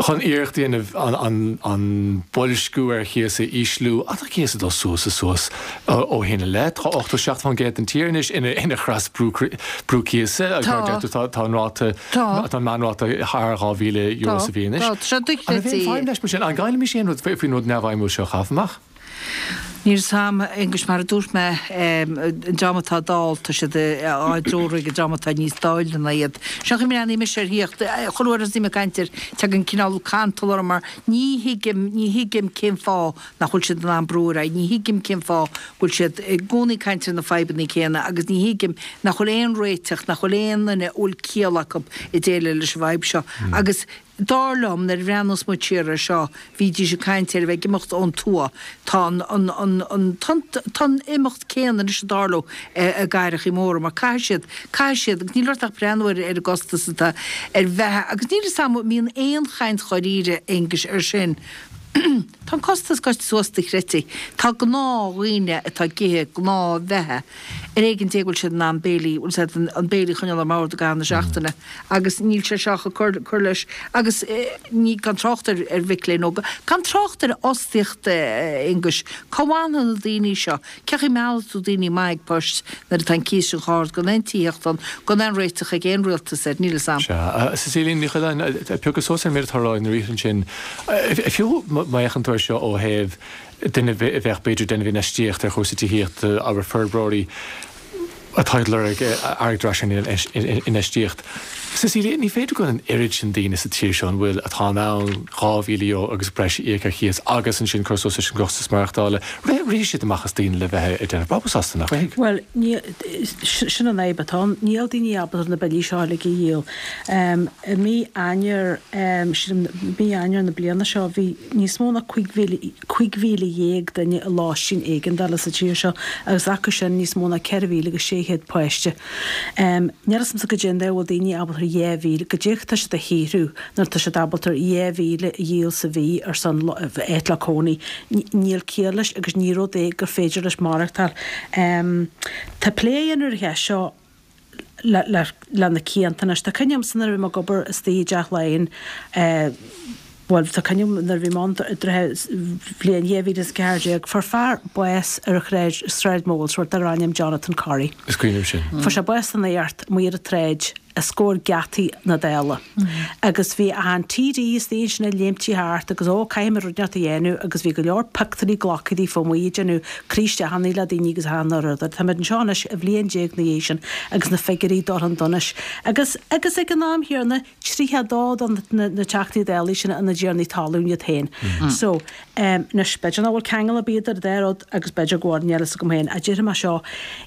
chun iarracht a dhéanamh an, an boilsciú ar chíos a ísliú. Ach tá cíos ag dul suas is suas ó shin i leith. Tá 87% den tír anois ina, ina chreas brú, brú cíosa agus mar a deir tú, tá, tá an ráta, Tá. tá an meánráta thar €2,000 sa bhliain anois. Tá, tá sé An raibh aon dochreidte. feidhm leis mar sin? An gcaillfimis aon rud faoin rud neamhfheidhmiúil seo a chaitheamh amach? Níl 'fhios a'm, a Aonghuis, mar a dúirt mé, an dream atá dall, tá siad á dtreorú ag an dream atá níos daille ná iad. Seo an chaoi a mbreathnaím mise ar thíocht, chuile uair a thosaím ag caint air, tagann cineál cantal orm mar ní thuigim, ní thuigim cén fáth nach bhfuil siad in ann brú ar aghaidh, ní thuigim cén fáth go bhfuil siad i gcónaí ag caint ar na fadhbanna céanna agus ní thuigim nach bhfuil aon réiteach, nach bhfuil aon duine a bhfuil ciall acu ag déileáil leis an bhfadhb seo. Agus. Dar liom, nuair a bhreathnós muid siar air seo, bhídís ag caint ar a bheith ag imeacht ón tuath. Tá an, an, an, an, tá an imeacht céanna anois ag tarlú i gcathrachaí móra mar caithfidh siad, caithfidh siad, agus níl ort ach breathnú ar, ar an gcostas atá ar bheatha agus níl 'fhios a'm an mbíonn aon chaint dháiríre, Aonghuis, ar sin. Tá an costas gaibhte suas dochreidte. Tá gnáthdhaoine atá ag ithe gnáthbheatha, ar éigean Dé go bhfuil siad in ann béilí, bhfuil a fhios agat, an béilí a choinneáil ar an mbord i gcaitheamh na seachtaine agus níl sé seo ach ag cur, cur leis. Agus ní, gan trácht ar, ar mhic léinn óga, gan trácht ar fhostaíocht, a Aonghuis. Cá bhfanfaidh na daoine seo? Cén chaoi a meallfaidh tú daoine maith ag poist nuair atá an cíos sin chomh hard, gan aon tithíocht ann, gan aon réiteach ag aon rialtas air, níl fhios a'm. Sea. Cecilia Ní Choileáin, piocadh suas ar an méid atá á rá ag na ríthe ansin. Fiú má fhéachann tú air seo ó thaobh duine a bheadh b'fhéidir ag déanamh infheistíocht ar chúrsaí tithíochta, abair forbróirí atá ag lorg airgead ar ais ar an infheistíocht. Cecilia, ní féidir go bhfuil an oiread sin daoine sa tír seo an bhfuil, atá in ann €2,000 agus breis a íoc ar chíos agus ansin cur suas leis an gcostas maireachtála. Rithfidh siad amach as daoine le bheith ag déanamh brabús astu, nach rithfidh? Bhuel, ní, sin an fhadhb atá ann. Níl daoine ábalta na billí seo uilig a dhíol. I mí Eanáir, sílim, mí Eanáir na bliana seo, bhí níos mó ná 15,000 duine i lóistín éigeandála sa tír seo agus acu sin níos mó ná 4,600 páiste. Níl fhios a'msa goidé an dóigh a bhfuil daoine ábalta 2,000, goidé atá siad a shaothrú nuair atá siad ábalta 2,000 a dhíol sa mhí ar son áit le cónaí. Níl ciall leis agus ní rud é gur féidir leis maireachtáil. Tá plé á dhéanamh ar an cheist seo le le na cianta anois. Tá cuimhne agamsa nuair a bhí mé ag obair istigh i dTeach Laighean, bhuel tá cuimhne agam nuair a bhí mé ann i dtrátha bhliain 2014, fuair fear bás ar an tsráid, Sráid Molesworth darbh ainm Jonathan Corrie. Is cuimhin liom sin. Fuair sé bás den infarct amuigh ar an tsráid os comhair geataí na Dála. Agus bhí achan TD istigh ansin ag léimtí thart agus ó caithfidh muid rud inteacht a dhéanamh agus bhí go leor pictiúirí glactha daofa amuigh ag déanamh croí isteach le daoine agus achan rud. Táimid anseo anois bhliain déag ina dhiaidh sin agus na figiúirí ag dul chun donais. Agus agus ag an am chéanna 32 de na na Teachtaí Dála sin ina dtiarnaí talún iad féin. So, anois b'fhéidir nach bhfuil ceangal ar bith idir an dá rud agus b'fhéidir go bhfuil, níl fhios agam féin. Ach déarfaidh mé seo,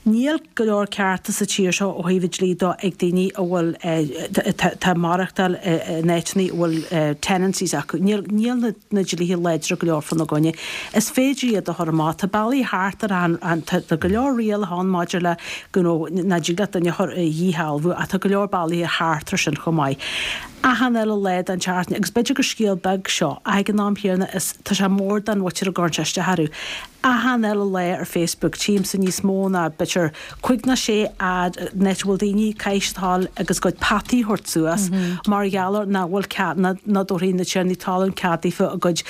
níl go leor cearta sa tír seo ó thaobh an dlí de ag daoine a bhfuil, atá ag maireachtáil in áiteanna a bhfuil tenancies acu. Níl, níl na, na dlíthe láidre go leor fána gcoinne. Is féidir iad a chur amach. Tá bealaí thart ar an, an, tá go leor rialacha ann maidir le, you know, nach dtig leat duine a chur, a dhíshealbhú ach tá go leor bealaí thart ar sin chomh maith. Achan uile lá den tseachtain, agus b'fhéidir gur scéal beag seo, ach ag an am chéanna is tá sé mór don mhuintir a gcuireann sé isteach orthu. Achan uile lá ar Facebook tchímse níos mó ná b'fhéidir cuig nó sé ad in áit a bhfuil daoine ag caithfidh siad a ghabháil agus a gcuid peataí a thabhairt suas mar gheall ar nach bhfuil cead, nach dtabharfaidh na tiarnaí talún cead daofa a gcuid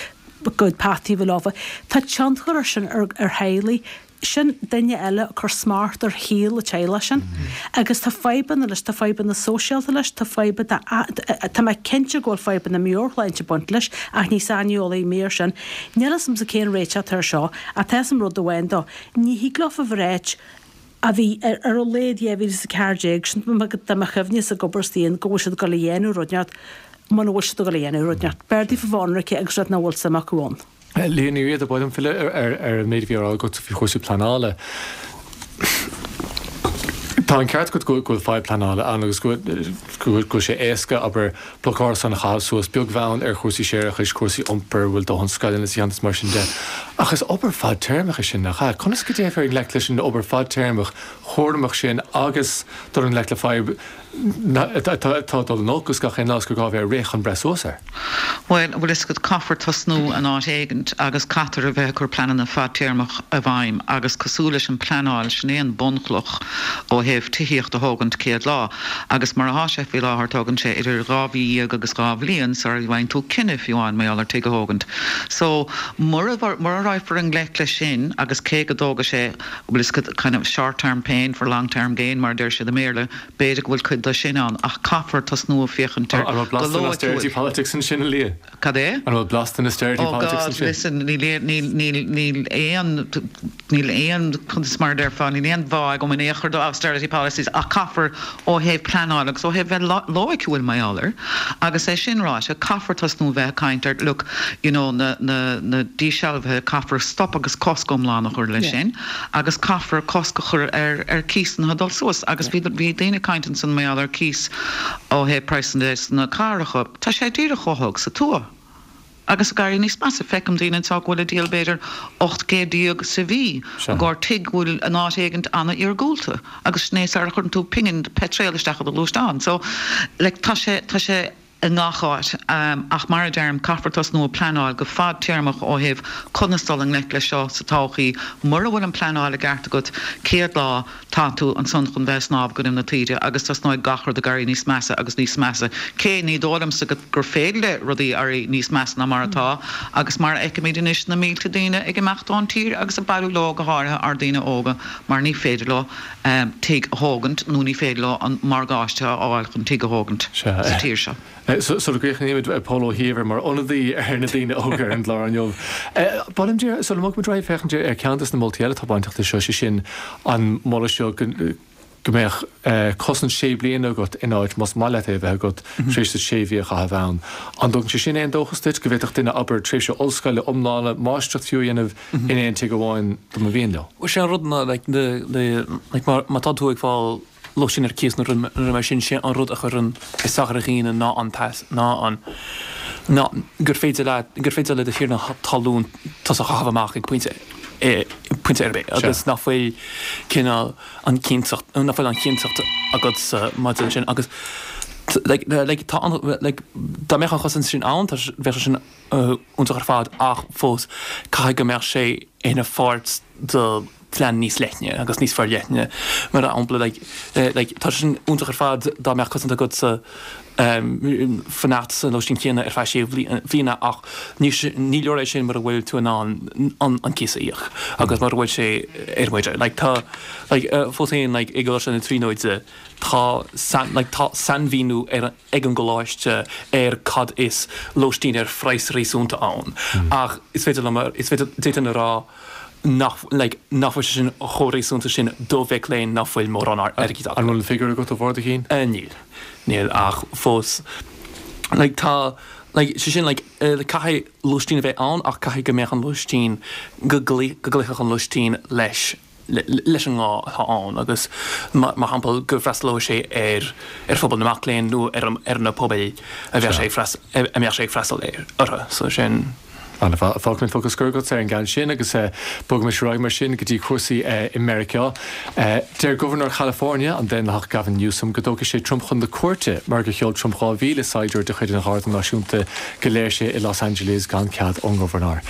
gcuid peataí a bheith leofa. Tá tionchar ar sin ar theaghlaigh. Sin duine eile ag cur smacht ar shaol an teaghlach sin. Agus tá fadhbanna leis, tá fadhbanna sóisialta leis, tá fadhbanna, tá mé cinnte go bhfuil fadhbanna meabhairshláinte ag baint leis ach ní saineolaí mé ar sin. Níl fhios a'msa cén réiteach atá ar seo ach tá fhios a'm rud amháin dó, ní thig leofa a ráit, a bhí ar a laghad 2014, sin de mo chuimhne-sa ag obair istigh ann, go bhfuil siad ag dul a dhéanamh rud inteacht muna bhfuil siad ag dul a dhéanamh rud inteacht. B'fhearr daofa bheith ionraice agus rud nach bhfuil suim acu ann. Liadh Ní Riada, ba mhaith liom filleadh ar an méid a bhí á rá agat faoi chúrsaí pleanála. Tá an ceart agat go bhfuil fadhb pleanála ann agus go bhfuil sé éasca, abair, bloc árasán a chaitheamh suas, beag bheann ar chúrsaí séarachais, cúrsaí iompair, bhfuil dóthain scoileanna sa cheantar is mar sin de. Ach is obair fadtéarmach é sin, nach ea? Conas go dtéifear i ngleic leis an obair fadtéarmach chúramach sin agus dul i ngleic le fadhb atá ag dul in olcas gach aon lá is gur gá a bheith ag rith chun breith suas air. Bhuel, bhfuil fhios agat, caithfear tosnú in áit éigint agus caithfear a bheith ag cur pleananna fadtéarmach i bhfeidhm agus cosúil leis an pleanáil, sin é an bunchloch ó thaobh tithíocht a thógaint céad lá agus mar athá sé faoi láthair tógann sé idir 12 mhí agus 2 bhliain sara bhfaigheann tú cinneadh fiú amháin mar gheall ar tigh a thógaint. So, mura, mura raghfar i ngleic leis sin agus cé go dtógfaidh sé, bhfuil fhios agat, kind of short term pain for long term gain mar a deir siad i mBéarla, B'fhéidir go bhfuil cuid de sin ann, ach caithfear tosnú ag féachaint air An bhfuil go blas den austerity loighciúil. politics ansin, a Liadh? Cad é? An bhfuil blas den austerity Oh politics God, ansin? listen, níl aon, níl, níl, níl aon, níl aon, conas mar a déarfá, níl aon bhá agam in aon chor do austerity policies, ach caithfear ó thaobh pleanáil agus ó thaobh bheith loighciúil mar gheall air. Agus é sin ráite, caithfear tosnú a bheith ag caint ar, look, you know, na, na, na dísealbhuithe, caithfear stop agus cosc iomlán a chur leis sin. agus caithfear cosc a chur ar ar cíosanna a dhul suas agus bhí bhí daoine ag caint ansan mar gheall ar cíos ó thaobh praghsanna de sna cathracha. Tá sé díreach chomh holc sa tuath agus ag éirí níos measa. Feicim daoine anseo go bhfuil ag díol b'fhéidir 800 sa mhí i gcomhair tigh go bhfuil in áit éigint an-iargúlta agus sin é sara chuireann tú pingin peitreal isteach i do ghluaisteán. So like tá sé tá sé. i ngach áit. Ach mar a deirim, caithfear tosnú ag pleanáil go fadtéarmach ó thaobh conas dul i ngleic leis seo sa todhchaí. Mura bhfuil an pleanáil i gceart agat céad lá, tá tú ansan chun bheith ag snámh i gcoinnibh na taoide agus tosnóidh gach rud ag éirí níos measa agus níos measa. Cé ní dóigh liomsa gur féidir le rudaí éirí níos measa ná mar atá agus mar a fheicimid anois na mílte daoine ag imeacht ón tír agus ag bailiú leo go háirithe ár ndaoine óga mar ní féidir leo tigh a thógaint nó ní féidir leo an morgáiste a fháil chun tigh a thógaint sa tír seo. Sula gcríochnaímid, Pól Ó hÍomhair mar ionadaí ar na daoine óga ar an gclár inniu. Ba mhaith liom, sula mbogfaimid ar aghaidh, féachaint ar cheann de na moltaí eile atá bainteach leis seo, sé sin an moladh seo go mbeadh cosaint sé bliana agat in áit, más maith leat é a bheith agat, tar éis duit sé mhí a chaitheamh ann. An dtugann sé sin aon dóchas duit go bhféadfadh duine, abair, tréimhse ollscoile iomlána, máistreacht fiú a dhéanamh in aon tigh amháin dá mba mhian leo. Bhuel, sé an rud ná, like, like, má tá tú ag fáil lóistín ar cíos nó rud mar sin, sé an rud a chuireann isteach ar dhaoine ná an t-, ná an, ná gur féidir leat, gur féidir le do thiarna talún tusa a chaitheamh amach ag pointe, pointe ar bith agus nach bhfuil cineál an chinnteacht, nach bhfuil an chinnteacht agatsa maidir leis sin agus like, like, tá an, like, dá mbeadh an chosaint sin ann, tá, bheadh sé sin iontach ar fad ach fós caithfidh go mbeadh sé ina pháirt de phlean níos leithne agus níos forleithne. Mar shampla like like tá sé sin iontach ar fad dá mbeadh cosaint agatsa fanacht sa lóistín céanna ar feadh sé bhliana ach ní ní leor é sin mura bhfuil tú in ann an an cíos a íoc agus mura bhfuil sé ar maoir. Like tá like fós féin like i gColáiste na Tríonóide tá like tá sainmhíniú ar ag an gcoláiste ar cad is lóistín ar phraghas réasúnta ann ach is féidir liom, is féidir, d'fhéadfainn a rá nach, like, nach bhfuil sé sin chomh réasúnta sin do mhic léinn nach bhfuil mórán airgid acu. An bhfuil an figiúr agat ó bharr do chinn? Níl. Níl ach fós like tá like sé sin like caithfidh lóistín a bheith ann ach caithfidh go mbeadh an lóistín, go gcloífeadh an lóistín leis leis an ngá atá ann agus, mar shampla, go bhfreastalóidh sé ar ar phobal na mac léinn nó ar ar na pobail a bheadh sé ag a mbeadh sé ag freastal orthu. So sin. An-mhaith. Fágfaimid focal scoir agat ar an gceann sin agus bogaimis ar aghaidh mar sin go dtí cúrsaí i Meiriceá. Deir Gobharnóir Chalifornia, an Daonlathach Gavin Newsom, go dtógfaidh sé Trump chun na cúirte mar gur sheol Trump 2,000 saighdiúir de chuid an Gharda Náisiúnta go léirsithe i Los Angeles gan cead ón ngobharnóir.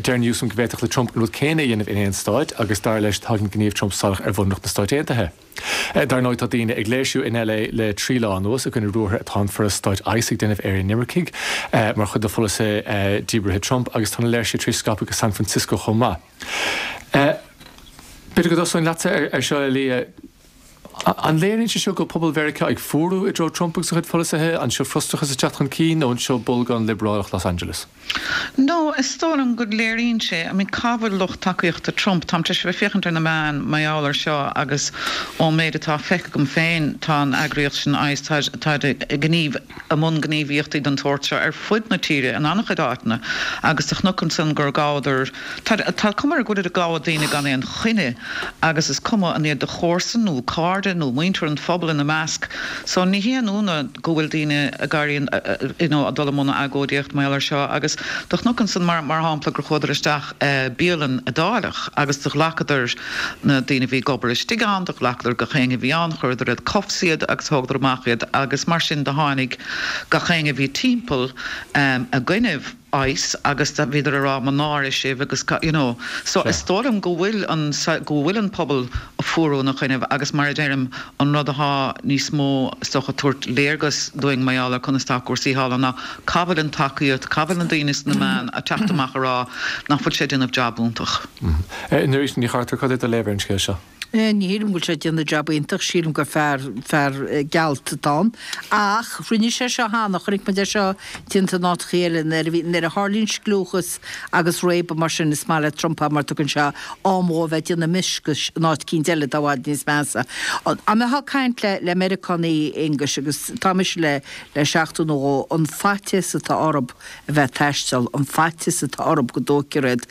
Deir Newsom go bhféadfadh le Trump an rud céanna a dhéanamh in aon stáit agus dar leis tagann gníomh Trump salach ar bhunreacht na Stáit Aontaithe. Dar ndóigh tá daoine ag léirsiú in LA le 3 lá anuas i gcoinne ruathair atá an foras stáit ICE ag déanamh ar inimircigh mar chuid de pholasaithe díbrithe Trump agus tá na léirsithe tar éis scaipeadh go San Francisco chomh maith. B'fhéidir go dtosóinn leatsa ar seo a Leah. An léiríonn sé seo go bhfuil pobal Mheiriceá ag fuarú i dtreo Trump agus a chuid pholasaithe? An seo frustrachas ag teacht chun cinn nó an seo bolgán liobrálach Los Angeles? No, is dóigh liom go léiríonn sé, I mean cá bhfuil lucht tacaíochta Trump? Táim tar éis a bheith ag féachaint ar na meáin mar gheall ar seo agus ón méid atá feicthe agam féin tá an eagraíocht sin ICE, táid ag gníomh, i mbun gníomhaíochtaí den tsórt seo ar fud na tíre in an-chuid áiteanna agus do chonac ansan gur ghabhadar, Tá tá cuma air go bhfuilid ag gabháil daoine gan aon choinne agus is cuma an iad do chomharsain nó cairde nó muintir an phobail ina measc. So ní haon ionadh go bhfuil daoine ag éirí you know ag dul i mbun agóidíocht mar gheall air seo agus do chonac ansan mar mar shampla gur chuadar isteach bialann Iodálach agus do ghlacadar na daoine a bhí ag obair istigh ann, do ghlacadar gach éinne a bhí ann, chuireadar in cuffs iad agus thógadar amach iad agus mar sin do tháinig gach éinne a bhí timpeall i gcoinnibh. ICE agus bhíodar ag rá mo náire sibh agus you know. So is dóigh liom go bhfuil an go bhfuil an pobal ag fuarú ina choinnibh agus mar a deirim an rud athá níos mó is dócha ag tabhairt léargas dúinn mar gheall ar conas tá cúrsaí thall ná cá bhfuil an tacaíocht, cá bhfuil na daoine sna meáin ag teacht amach ag rá nach bhfuil sé ag déanamh jab iontach. Nerys Ní Chartúir, cad é do léamh ar an scéal seo? Ní shílim go bhfuil sé ag déanamh jab iontach, sílim gur fear, fear gealt atá ann. Ach rinne sé seo cheana, chonaic muid é seo déanta in áiteachaí eile, nuair a bhí, nuair a tharlaíonn scliúchas agus réabadh mar sin, is maith le Trump é mar tugann sé am dhó a bheith ag déanamh mioscais in áit eicínt eile atá i bhfad níos measa. Dá mbeifeá ag caint le, le Meiriceánaigh, Aonghus, agus tá mise le, le seachtain nó dhó, an faitíos atá orthu, a bheith ag taisteal, an faitíos atá orthu go dtóigfear iad.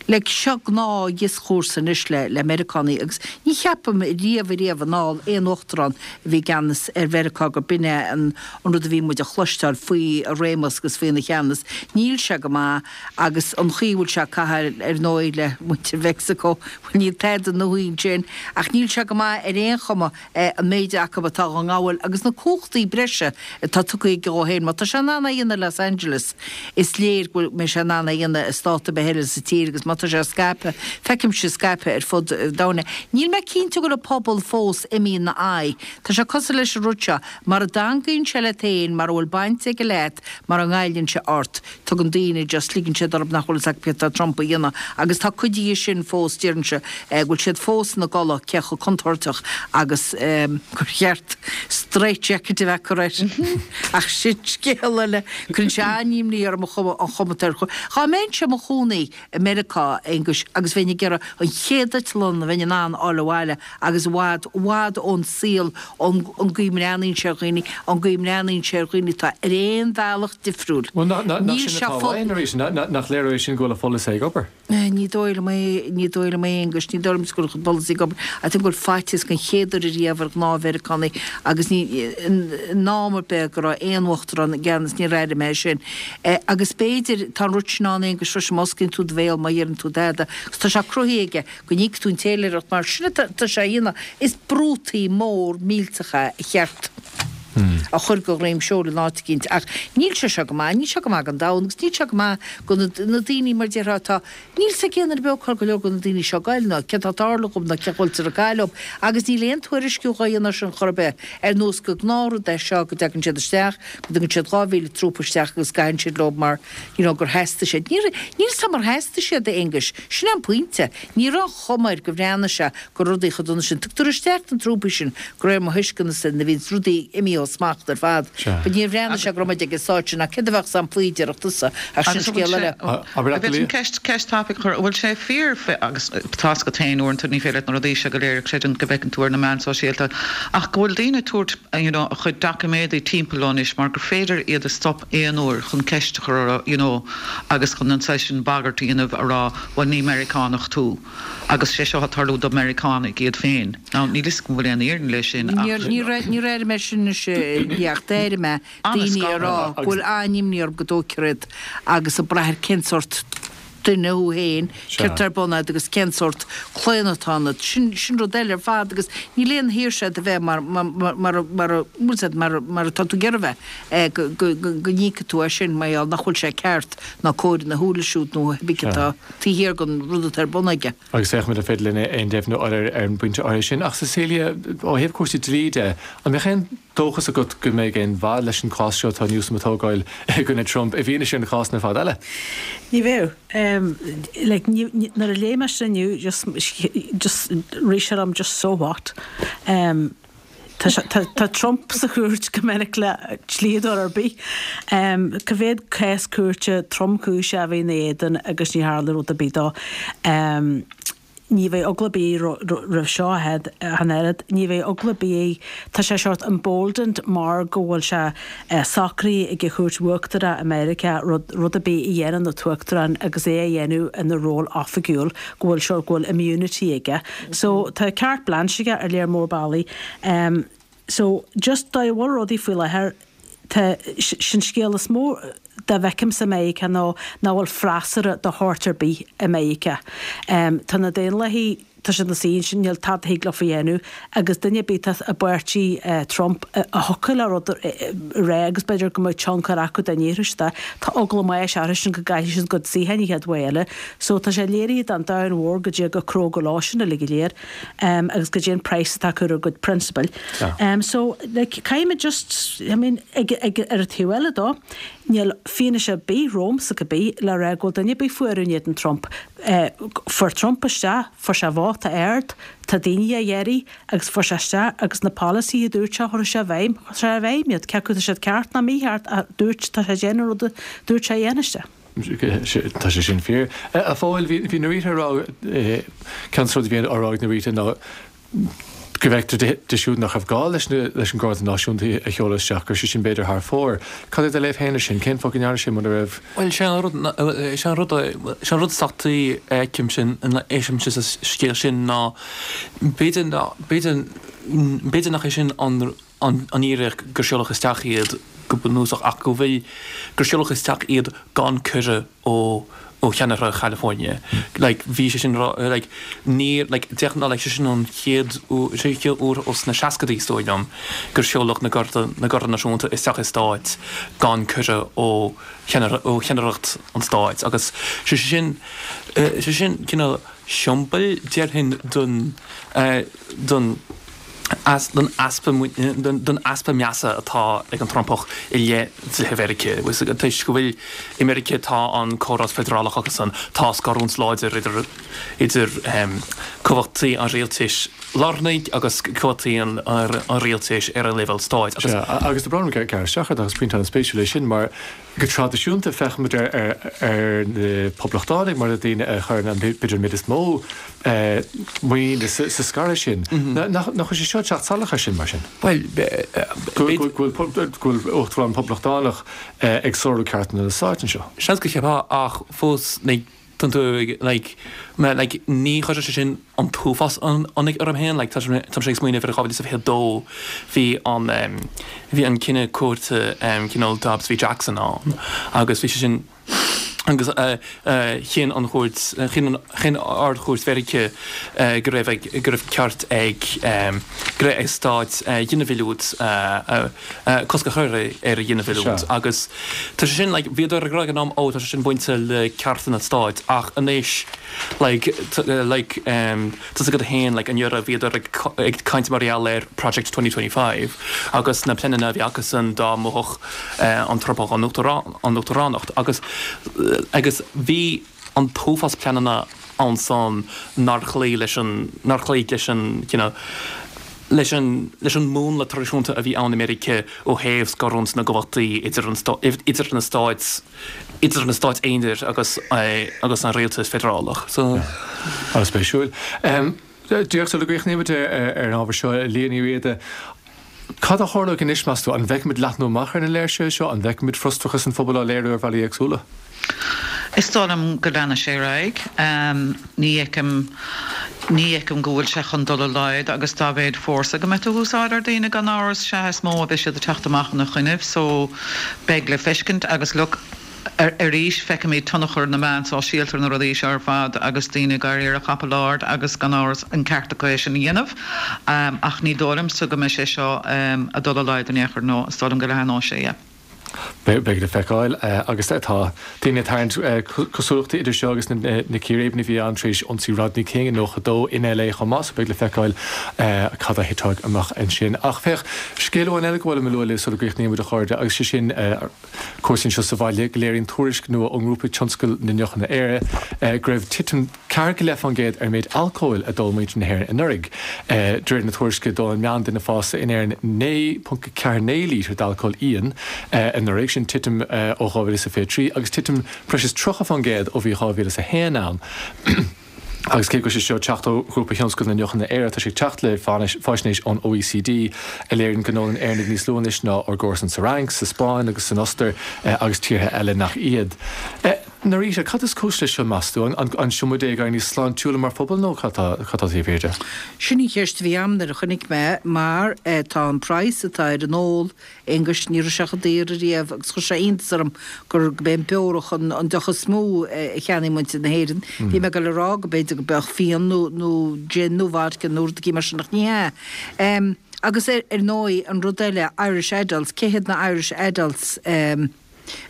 Like, seo gnáth-dhioschúrsa anois le, le Meiriceánaigh agus ní. Ní cheapaim riamh ariamh anall aon uachtarán a bhí i gceannas ar Mheiriceá gur b'in é an rud a bhí muid a chloisteáil faoi a réimeas agus faoina cheannas. Níl sé go maith agus an chaoi a bhfuil sé ag caitheamh ar ndóigh le muintir Mheicsiceo, bhuel níl tada nua ansin ach níl sé go maith ar aon chuma. an méid acu atá dhá ngabháil agus na cumhachtaí breise atá tugtha aige dhó féin. Má tá sé in ann é a dhéanamh i Los Angeles, is léir go mbeidh sé in ann é a dhéanamh i stát ar bith eile sa tír agus má tá sé scaipthe, feicimse scaipthe ar fud an domhain é. Níl mé cinnte go bhfuil an pobal fós imithe ina aghaidh. Tá sé cosúil leis an rud seo, mara dteangaíonn sé leat féin, mara bhfuil baint aige leat, mara ngoilleann sé ort. Tugann daoine just ligeann siad orthu nach bhfuil fhios acu céard tá Trump a dhéanamh agus tá cuid dhe sin fós déarfainnse go bhfuil siad fós ina gcodladh cé chomh contúirteach agus gur cheart straitjacket a bheith acu air ach sin scéal eile. Cuireann sé an-imní orm an chuma an chuma atá air. Dhá mbeinnse i mo chónaí i Meiriceá, a Aonghuis, agus bheinn ag iarraidh an chéad eitleán a bheinn in ann a fháil abhaile agus i bhfad, i bhfad ón saol, ón an gcaoi a mbreathnaíonn sé ar dhaoine, an gcaoi a mbreathnaíonn sé ar dhaoine atá ar aon bhealach difriúil. Bhuel, nach, nach, nach sin atá uainn arís, nach léiriú é sin go bhfuil a pholasaí ag obair? Ní dóigh liom é, ní dóigh liom é, a Aonghuis, ní dóigh liom go bhfuil a chuid polasaí ag obair. I think go bhfuil faitíos den chéad uair ariamh ar ghnáth-Mheiriceánaigh agus ní, in am ar bith go raibh aon uachtarán i gceannas, níor airigh mé é sin. Agus b'fhéidir, tá an rud sin ann, Aonghus, freisin, má osclaíonn tú do bhéal, má dheireann tú tada, agus tá sé cruthaithe aige go n-íocfaidh tú an téiléireacht mar sin atá sé a dhéanamh. Is brútaí mór millteach é a cheart a chur de dhroim seoil in áit eicínt. Ach níl sé seo go maith, níl sé go maith don domhan agus níl sé go maith do na daoine, mar déarfá, atá, níl 's ag aon duine beo cá bhfuil go leor de na daoine seo ag goil ná céard atá ag tarlú dhóibh ná cén chaoi a bhfuiltear ag caitheamh leo agus níl aon tuairisciú dhá dhéanamh air sin chor ar bith, ar nós gur gnáthrud é seo go dtagann siad isteach, go dtugann siad 2,000 trúpa isteach agus gcaitheann siad leo mar, you know, gur theastaigh siad. Níor, níl 's agam ar theastaigh siad, a Aonghuis. Sin é an pointe. Ní raibh an chuma air go bhreathnaigh sé go raibh rudaí chomh dona sin. Tugtar isteach na trúpaí sin, de réir mo thuisceanasa, nuair a bhíonns rudaí imithe ó smacht ar fad. Sea. But níor bhreathnaigh sé go raibh muid ag an stáid sin ach céard a bheadh 's agam faoi, déarfadh tusa, ach sin Agus an bhfuil scéal sé, eile. Abair an leat, bhféadfainn ceist, ceist tapaidh a chur, an bhfuil sé fíor, agus tá's agat féin uaireanta ní féidir leat na rudaí seo go léir a chreidiúint go bhfeiceann tú ar na meáin sóisialta, ach go bhfuil daoine ag tabhairt, you know, a chuid doiciméadaí timpeall leo anois mar gur féidir iad a stop aon uair chun ceist a chur orthu, you know, agus chun an saghas sin bagairt a dhéanamh a rá, bhuel ní Meiriceánach tú agus sé seo ag tarlú do Meiriceánaigh iad féin. Now níl fhios agam an bhfuil aon fhírinne leis sin ach. Níor, níor, níor airigh mé sin anois ach d'airigh mé daoine ag rá go bhfuil an-imní orthu go dtógfar iad agus ag brath ar cén sórt duine thú féin, céard atá ar bun agat agus cén sórt claonadh atá ionat. Sin, sin rud eile ar fad agus níl aon shaoirse agat a bheith mar, mar, mar, mar, mar, bhfuil 's agat, mar, mar atá tú ag iarraidh bheith, go, go, go, go n-íocfaidh tú as sin mar gheall nach bhfuil sé ceart ná cóir ina shúile siúd nó cibé atá taobh thiar den rud atá ar bun aige. Agus féachfaimid an féidir linn aon deimhniú a fháil ar an bpointe áirithe sin. Ach Cecilia, ó thaobh cúrsaí dlí de, an mbeadh aon dóchas agat go mbeidh aon mhaith leis an cás seo atá Newsom ag tógáil i gcoinne Trump i bhfianaise na cásanna ar fad eile? Ní bheadh. Like, nuair a léigh mé sin inniu, just, just rith sé liom just so what? Tá sé, tá, tá Trump sa chúirt go minic le dlíodóir ar bith. Cá mhéad cás cúirte tromchúiseach a bhí ina éadan agus ní tharla rud ar bith dó. Ní bheidh eagla ar bith roimh seo ach an oiread. Ní bheidh eagla ar bith, tá sé sórt emboldened mar go bhfuil sé socraithe ag an Chúirt Uachtarach i Meiriceá rud, rud ar bith a dhéanann an tUachtarán agus é a dhéanamh ina ról oifigiúil, go bhfuil sórt, go bhfuil immunity aige. So tá carte blanche aige ar léar mór bealaí. So just dóigh a bhfuil rudaí faoi láthair, tá, sin scéal is mó dá bhfeicimse i Meiriceá ná nach bhfuil freasúra de shórt ar bith i Meiriceá. Tá na Daonlathaigh, tá siad ina suí ansin, níl tada a thig leofa a dhéanamh agus duine ar bith atá i bpáirtí Trump a thiocfadh le rud a rá agus b'fhéidir go mbeadh tionchar acu dá ndéarfadh siad é, tá eagla báis orthusan go gcaillfidh siad a gcuid suíocháin an chéad uair eile. So tá sé léirithe don domhan mhór goidé chomh cróga leo sin uilig go léir agus goidé an praghas atá acu ar a gcuid prionsabail. So like caithfimid just, I mean, ag, ag, ar an taobh eile dó, níl fianaise ar bith romhamsa cibé le rá go bhfuil duine ar bith fuar in éadan Trump. Fuair Trump isteach, fuair sé vóta ard, tá daoine á iarraidh agus fuair sé isteach agus na polasaithe a dúirt sé chuir sé i bhfeidhm, chuir sé i bhfeidhm iad, cé acu tá siad ceart nó mícheart ach dúirt, tá sé ag déanamh an rud a dúirt sé a dhéanfadh sé. Tá sé sin fíor. A Phóil, bhí Norita ag rá, ceann de na rudaí a bhí á rá ag Norita ná. Go bhfeictear di siúd nach raibh gá leis leis an Gharda Náisiúnta a sheoladh isteach, go raibh sé sin b'fhéidir thar fóir. Cad é do léamh féin air sin? Cén fáth go ndearna sé muna raibh? Bhuel, sé an rud, sé an rud, sé an rud is deachtaí a fheicimse, a fheicimse sa scéal sin ná b'fhéidir, b'fhéidir, b'fhéidir nach é sin an an fhíric gur seoladh isteach iad go bunúsach ach go bhfuil, gur seoladh isteach iad gan cuireadh ó ó cheannaire Chalifornia. Like, bhí sé sin rá, like, níor, like, de ghnáth, like, sé sin an chéad uair, sé an chéad uair ós na seascaidí, is dóigh liom, gur seoladh na Garda, na Garda Náisiúnta isteach i stáit gan cuireadh ó cheannaire, ó cheannaireacht an stáit agus sé sin, sé sin cineál siombail, déarfainn, don, don, don easpa don easpa measa atá ag an Trumpach i leith dlíthe Mheiriceá. Toisc go bhfuil i Meiriceá tá an córas feidearálach agus an tá scarúint láidir idir idir cumhachtaí an rialtais lárnaigh agus cumhachtaí an rialtais ar an leibhéal stáit agus. Sea, agus tá brón orm gearradh isteach ort ach is pointe an-spéisiúil é sin mar Go traidisiúnta, féachaimid ar na Poblachtánaigh mar na daoine a chuireann an, b'fhéidir, an méid is mó muiníne sa scaradh sin. Nach bhfuil sé seo ag teacht salach air sin, mar sin? Bhuel, Go bhfuil Uachtarán Poblachtánach ag sárú cearta na stáit anseo. Seans go cheapfá ach fós, Tá tú ag, like, mé, like, ní chuirfeadh sé sin an t-uafás ionaidh orm féin, like, tá sé, táimse ag smaoineamh ar 2022, bhí an, em, bhí an cinneadh cúirte, em, cineál Dobbs v Jackson ann agus bhí sé sin, agus, eh, eh, chinn an chúirt, chinn an, chinn Ard-Chúirt Mheiriceá, eh, go raibh ag, go raibh ceart ag, em, go raibh ag stáit, eh, ginmhilliúint, eh, eh, cosc a chur ar ghinmhilliúint agus tá sé sin like bhíodar ag rá ag an am ó tá sé sin bainte le cearta na stáit ach anois like like tá's agat féin like anuraidh bhíodar ag ag caint mar gheall ar Project 2025 agus na pleananna a bhí acusan dá mbuafadh an Trumpach an uachtaránacht agus agus bhí an t-uafás pleananna ansan nár chloígh leis an, nár chloígh leis an, you know, leis an, leis an múnla traidisiúnta a bhí ann i Meiriceá ó thaobh scarúint na gcumhachtaí idir an, idir na stáit, idir na stáit aonair agus, agus an rialtas feidearálach. So. An-spéisiúil. Díreach sula gcríochnaímid ar an ábhar seo, Liadh Ní Riada, cad a tharlóidh anois, meas tú? An bhfeicfimid leathnú amach ar na léirsithe seo? An bhfeicfimid frustrachas an phobail á léiriú ar bhealaí éagsúla? Is dóigh liom go leanfaidh sé ar aghaidh. Ní fheicim, ní fheicim go bhfuil sé chun dul i laghad agus dá mhéad fórsa go mbeidh tú ag úsáid ar daoine gan amhras, sea is mó a bheidh siad ag teacht amach ina choinnibh so beidh le feiscint agus look, Arís, feicimid tionchar na meán sóisialta ar na rudaí seo ar fad agus daoine ag éirí ar a chapall ard agus gan amhras an ceart acu é sin a dhéanamh. Ach ní dóigh liomsa go mbeidh sé seo ag dul i laghad in aon chor, no, is dóigh liom go leathnóidh sé, yeah. Beidh le feiceáil. Agus tá daoine ag tarraingt cosúlachtaí idir seo agus na círéibeanna a bhí ann tar éis ionsaí Rodney King i 92 in LA chomh maith, so beidh le feiceáil cad a thitfidh amach ansin. Ach féach, scéal amháin eile go bhfuil mé a lua libh sula gcríochnaímid, a chairde, agus sé sin, Cúrsaí anseo sa bhaile go léiríonn tuairisc nua ón ngrúpa Tionscal na nDeochanna Éire go raibh titim 4.5% ar an méid alcóil a d'ól muintir na hÉireann anuraidh. De réir na tuairisce d'ól an meánduine fásta in Éirinn 9.49 lítear d'alcól íon anuraidh, sin titim ó 2023 agus titim breis is 30% ó bhí 2001 ann. Agus cé go bhfuil sé seo ag teacht ó Ghrúpa Thionscal na nDeochanna Éire, tá sé ag teacht le faisnéis ón OECD a léiríonn go n-ólann Éireannaigh níos lú anois ná ár gcomharsain sa Fhrainc, sa Spáinn agus san Ostair agus tíortha eile nach iad. Norita, cad is cúis leis seo, meas tú? An seo muid ag éirí níos sláintiúla mar phobal nó cad tá taobh thiar de? Sin an cheist a bhí a'm nuair a chonaic mé mar tá an praghas atá ar an ól Aonghus, ní raibh sé chomh daor ariamh agus chuir sé iontas orm gur gurb é an beorach an an deoch is mó a cheannaigh muintir na hÉireann. Bhí mé ag dul a rá go b'fhéidir go mbeadh fíon nó nó gin nó vodka nó rud éigin mar sin ach ní hea. Em agus ar ar ndóigh an rud eile Irish Adults, cé hiad na Irish Adults em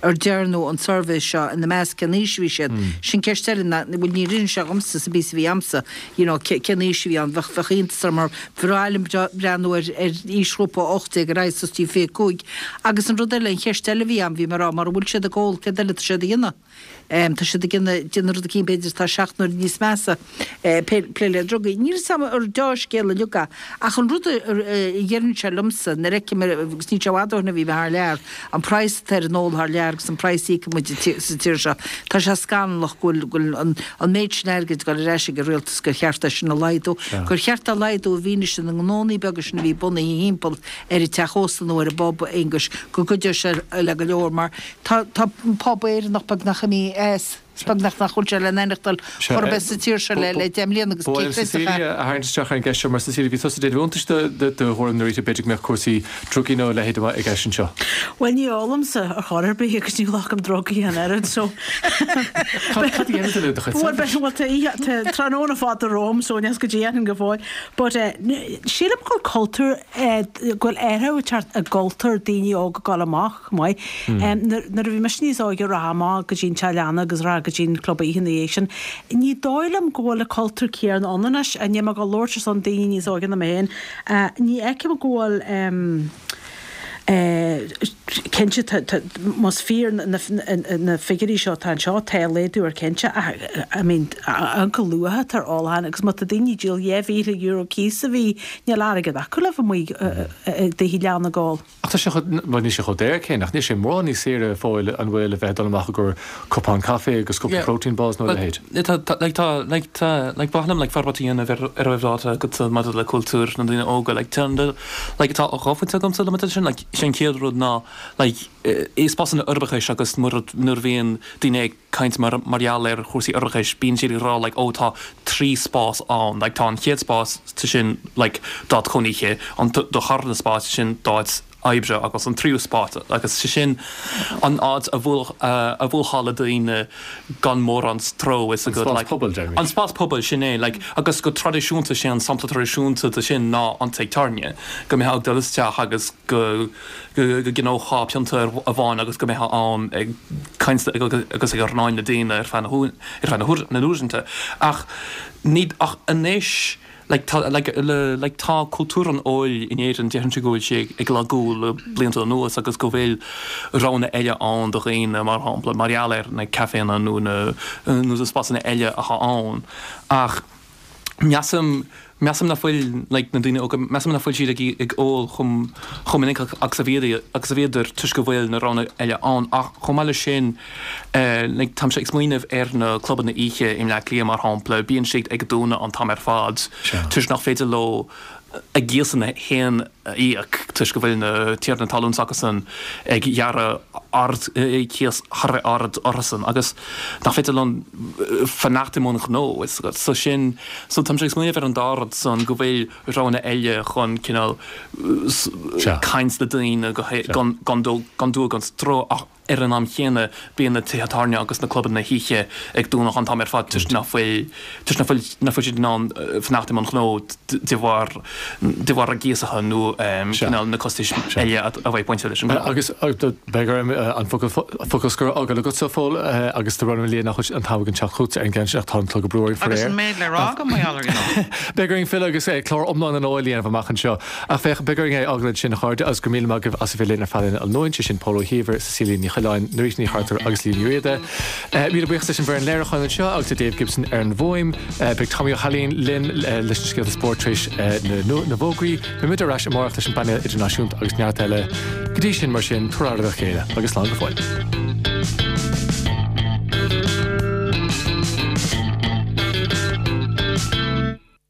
ar dearnadh an suirbhé seo ina measc cén aois a bhí siad? Sin ceist eile ná, bhuel níor inis sé dhomsa sa bpíosa a bhí a'msa, you know, cén aois a bhí ann, bheadh, bheadh iontas orm mar bhreá liom breathnú ar, ar aoisghrúpa 18 ar aghaidh suas dtí 25. Agus an rud eile, an cheist eile a bhí a'm, bhí mé ag rá, mura bhfuil siad ag ól, céard eile atá siad a dhéanamh? Tá siad ag déanamh rud eicínt b'fhéidir atá seacht n-uaire níos measa, plé le drugaí. Níl 'fhios a'm ar deá-scéal uilig é, ach an rud a dheireann sé liomsa, nuair a fheicim, agus níl sé i bhfad ó shin a bhí mé thar lear, an praghas atá ar an ól thar lear agus an praghas a íocann muid sa tír seo, tá sé scannalach go bhfuil an méid sin airgid ag dul ar ais ag an rialtas gur cheart é sin a laghdú, gur cheart é a laghdú i bhfianaise na ngnónnaí beaga sin a bhí bunaithe thimpeall ar an teach ósta nó ar an bpub, a Aonghuis, go gcuideoidh sé le go leor mar tá tá an pub Éireannach beagnach imithe as, is beagnach nach bhfuil sé le n-aithneachtáil chor ar bith sa tír seo le le 10 mbliana agus cé chreidfeadh é. Cecilia a tharraingt isteach ar an gceist seo mar Cecilia bhí tusa ag déanamh iontais do do thuairim Norita b'fhéidir go mbeadh cúrsaí drugaí nó a leithéid i gceist anseo. Bhuel ní ólaimse ar chor ar bith agus ní ghlacaim drugaí an oiread so Cad a dhéanann tú le do chuid saibhris? Bhuel tá oíche tá tráthnóna fada romham so níl 'fhios goidé a dhéanfainn go fóill but eh sílim go bhfuil cultúr go bhfuil athrú ag teacht i gcultúr daoine óga ag dul amach chomh maith. Nuair a bhí mise níos óige rachfá amach go dtí an teach leanna agus rachfá go dtí an club oíche ina dhiaidh sin. Ní dóigh liom go bhfuil an cultúr céanna ann anois, níl mé ag labhairt ar son daoine níos óige ná mé féin. Ní fheicim go bhfuil cinnte tá más fíor na figiúirí seo atá anseo tá laghdú air cinnte ach I mean an chomh luath atá ar ólachán agus má tá daoine ag díol €2,000 cíos sa mhí níl airgead acu le bheith amuigh i dtithe leanna ag ól. Ach tá sé chomh, bhuel níl sé chomh daor céanna ach níl sé mórán níos saoire fóill an bhfuil a bheith ag dul amach i gcomhair cupán caife agus cúpla protein balls nó a leithéid. Tá, tá, like tá, like tá, like ba mhaith liom like forbairt a dhéanamh ar ar a raibh ráite agatsa maidir le cultúr na ndaoine óga like tá an like tá dhá phointe agamsa le maidir leis sin like sé an chéad rud ná like i spásanna uirbeachais agus nuair nuair a bhíonn daoine ag caint mar mar gheall ar chúrsaí uirbeachais, bíonn siad ag rá like oh tá trí spás ann, like tá an chéad spás sin like d'áit chónaithe, an darna spás sin d'áit oibre agus an tríú spás agus sé sin an áit a bhuail a bhuailfeá le daoine gan mórán stró is An spás like pobail, deirimid. An spás pobail, sin é like agus go traidisiúnta sé an sampla traidisiúnta de sin ná an tigh tábhairne, go mbeifeá ag dul isteach agus go go gceannófá pionta amháin agus go mbeifeá ann ag caint agus ag arnáin le daoine ar feadh ar feadh na n-uaireanta. Ach ní ach anois like tá like le like tá cultúr an óil in Éirinn déarfainnse go bhfuil sé ag lagú le blianta anuas agus go bhfuil roghanna eile ann do dhaoine mar shampla mar gheall ar na caiféanna nó na nó na spásanna eile atá ann. Ach Measaim, measaim nach bhfuil, like, na daoine óga, measaim nach bhfuil siad ag, ag ól chomh, chomh minic agus a bhíodar, agus a bhíodar toisc go bhfuil na roghanna eile ann. Ach chomh maith leis sin, eh, like, táimse ag smaoineamh ar na clubanna oíche i mBleá Cliath, mar shampla, bíonn siad ag dúnadh an t-am ar fad toisc nach féidir leo a gcíosanna féin a íoc toisc go bhfuil na tiarnaí talún s'acusan ag gearradh ard cíos thar a bheith ard orthusan agus nach féidir leo fanacht i mbun gnó so sin so táimse ag smaoineamh ar an dá rud san go bhfuil roghanna eile chun cineál caint le daoine gan gan dua gan stró ach Ar an am chéanna, bíonn na tithe tábhairne agus na clubanna hoíche ag dúnadh an t-am ar fad toisc nach bhfuil toisc nach bhfuil nach bhfuil siad in ann fanacht i mbun gnó de bharr de bharr a gcíosacha nó cineál na costais eile a bheidh bainte leis an ngnó. Agus beidh orm an focal focal scoir a fhágáil agatsa, a Phóil, agus tá brón orm a Liam nach bhfuil an t-am againn teacht chugatsa ar an gceann sin ach tá an clog ag brú orainn Agus faraor. an méid le rá agam mar gheall air, you know. Beidh orainn filleadh agus clár iomlán an óil a dhéanamh amach anseo. Ach féach, beidh orainn é a fhágáil ansin, a chairde, agus go raibh míle maith agaibh as a bheith linn ar feadh an nóin, sé sin Pól Ó hÍomhair, Cecilia Ní Choileáin, Norita Ní Chartúir agus Liam Ní Riada. Míle buíochas leis an bhfoireann léiriúcháin anseo agus le Dave Gibson ar an bhfuaim. Beidh Tommy Ó hAilín linn leis na scéalta spóirt tar éis na bhfógraí. Beidh muid ar ais amárach leis an bpainéal idirnáisiúnta agus neart eile. Go dtí sin, mar sin, tabhair aire dá chéile agus slán go fóill.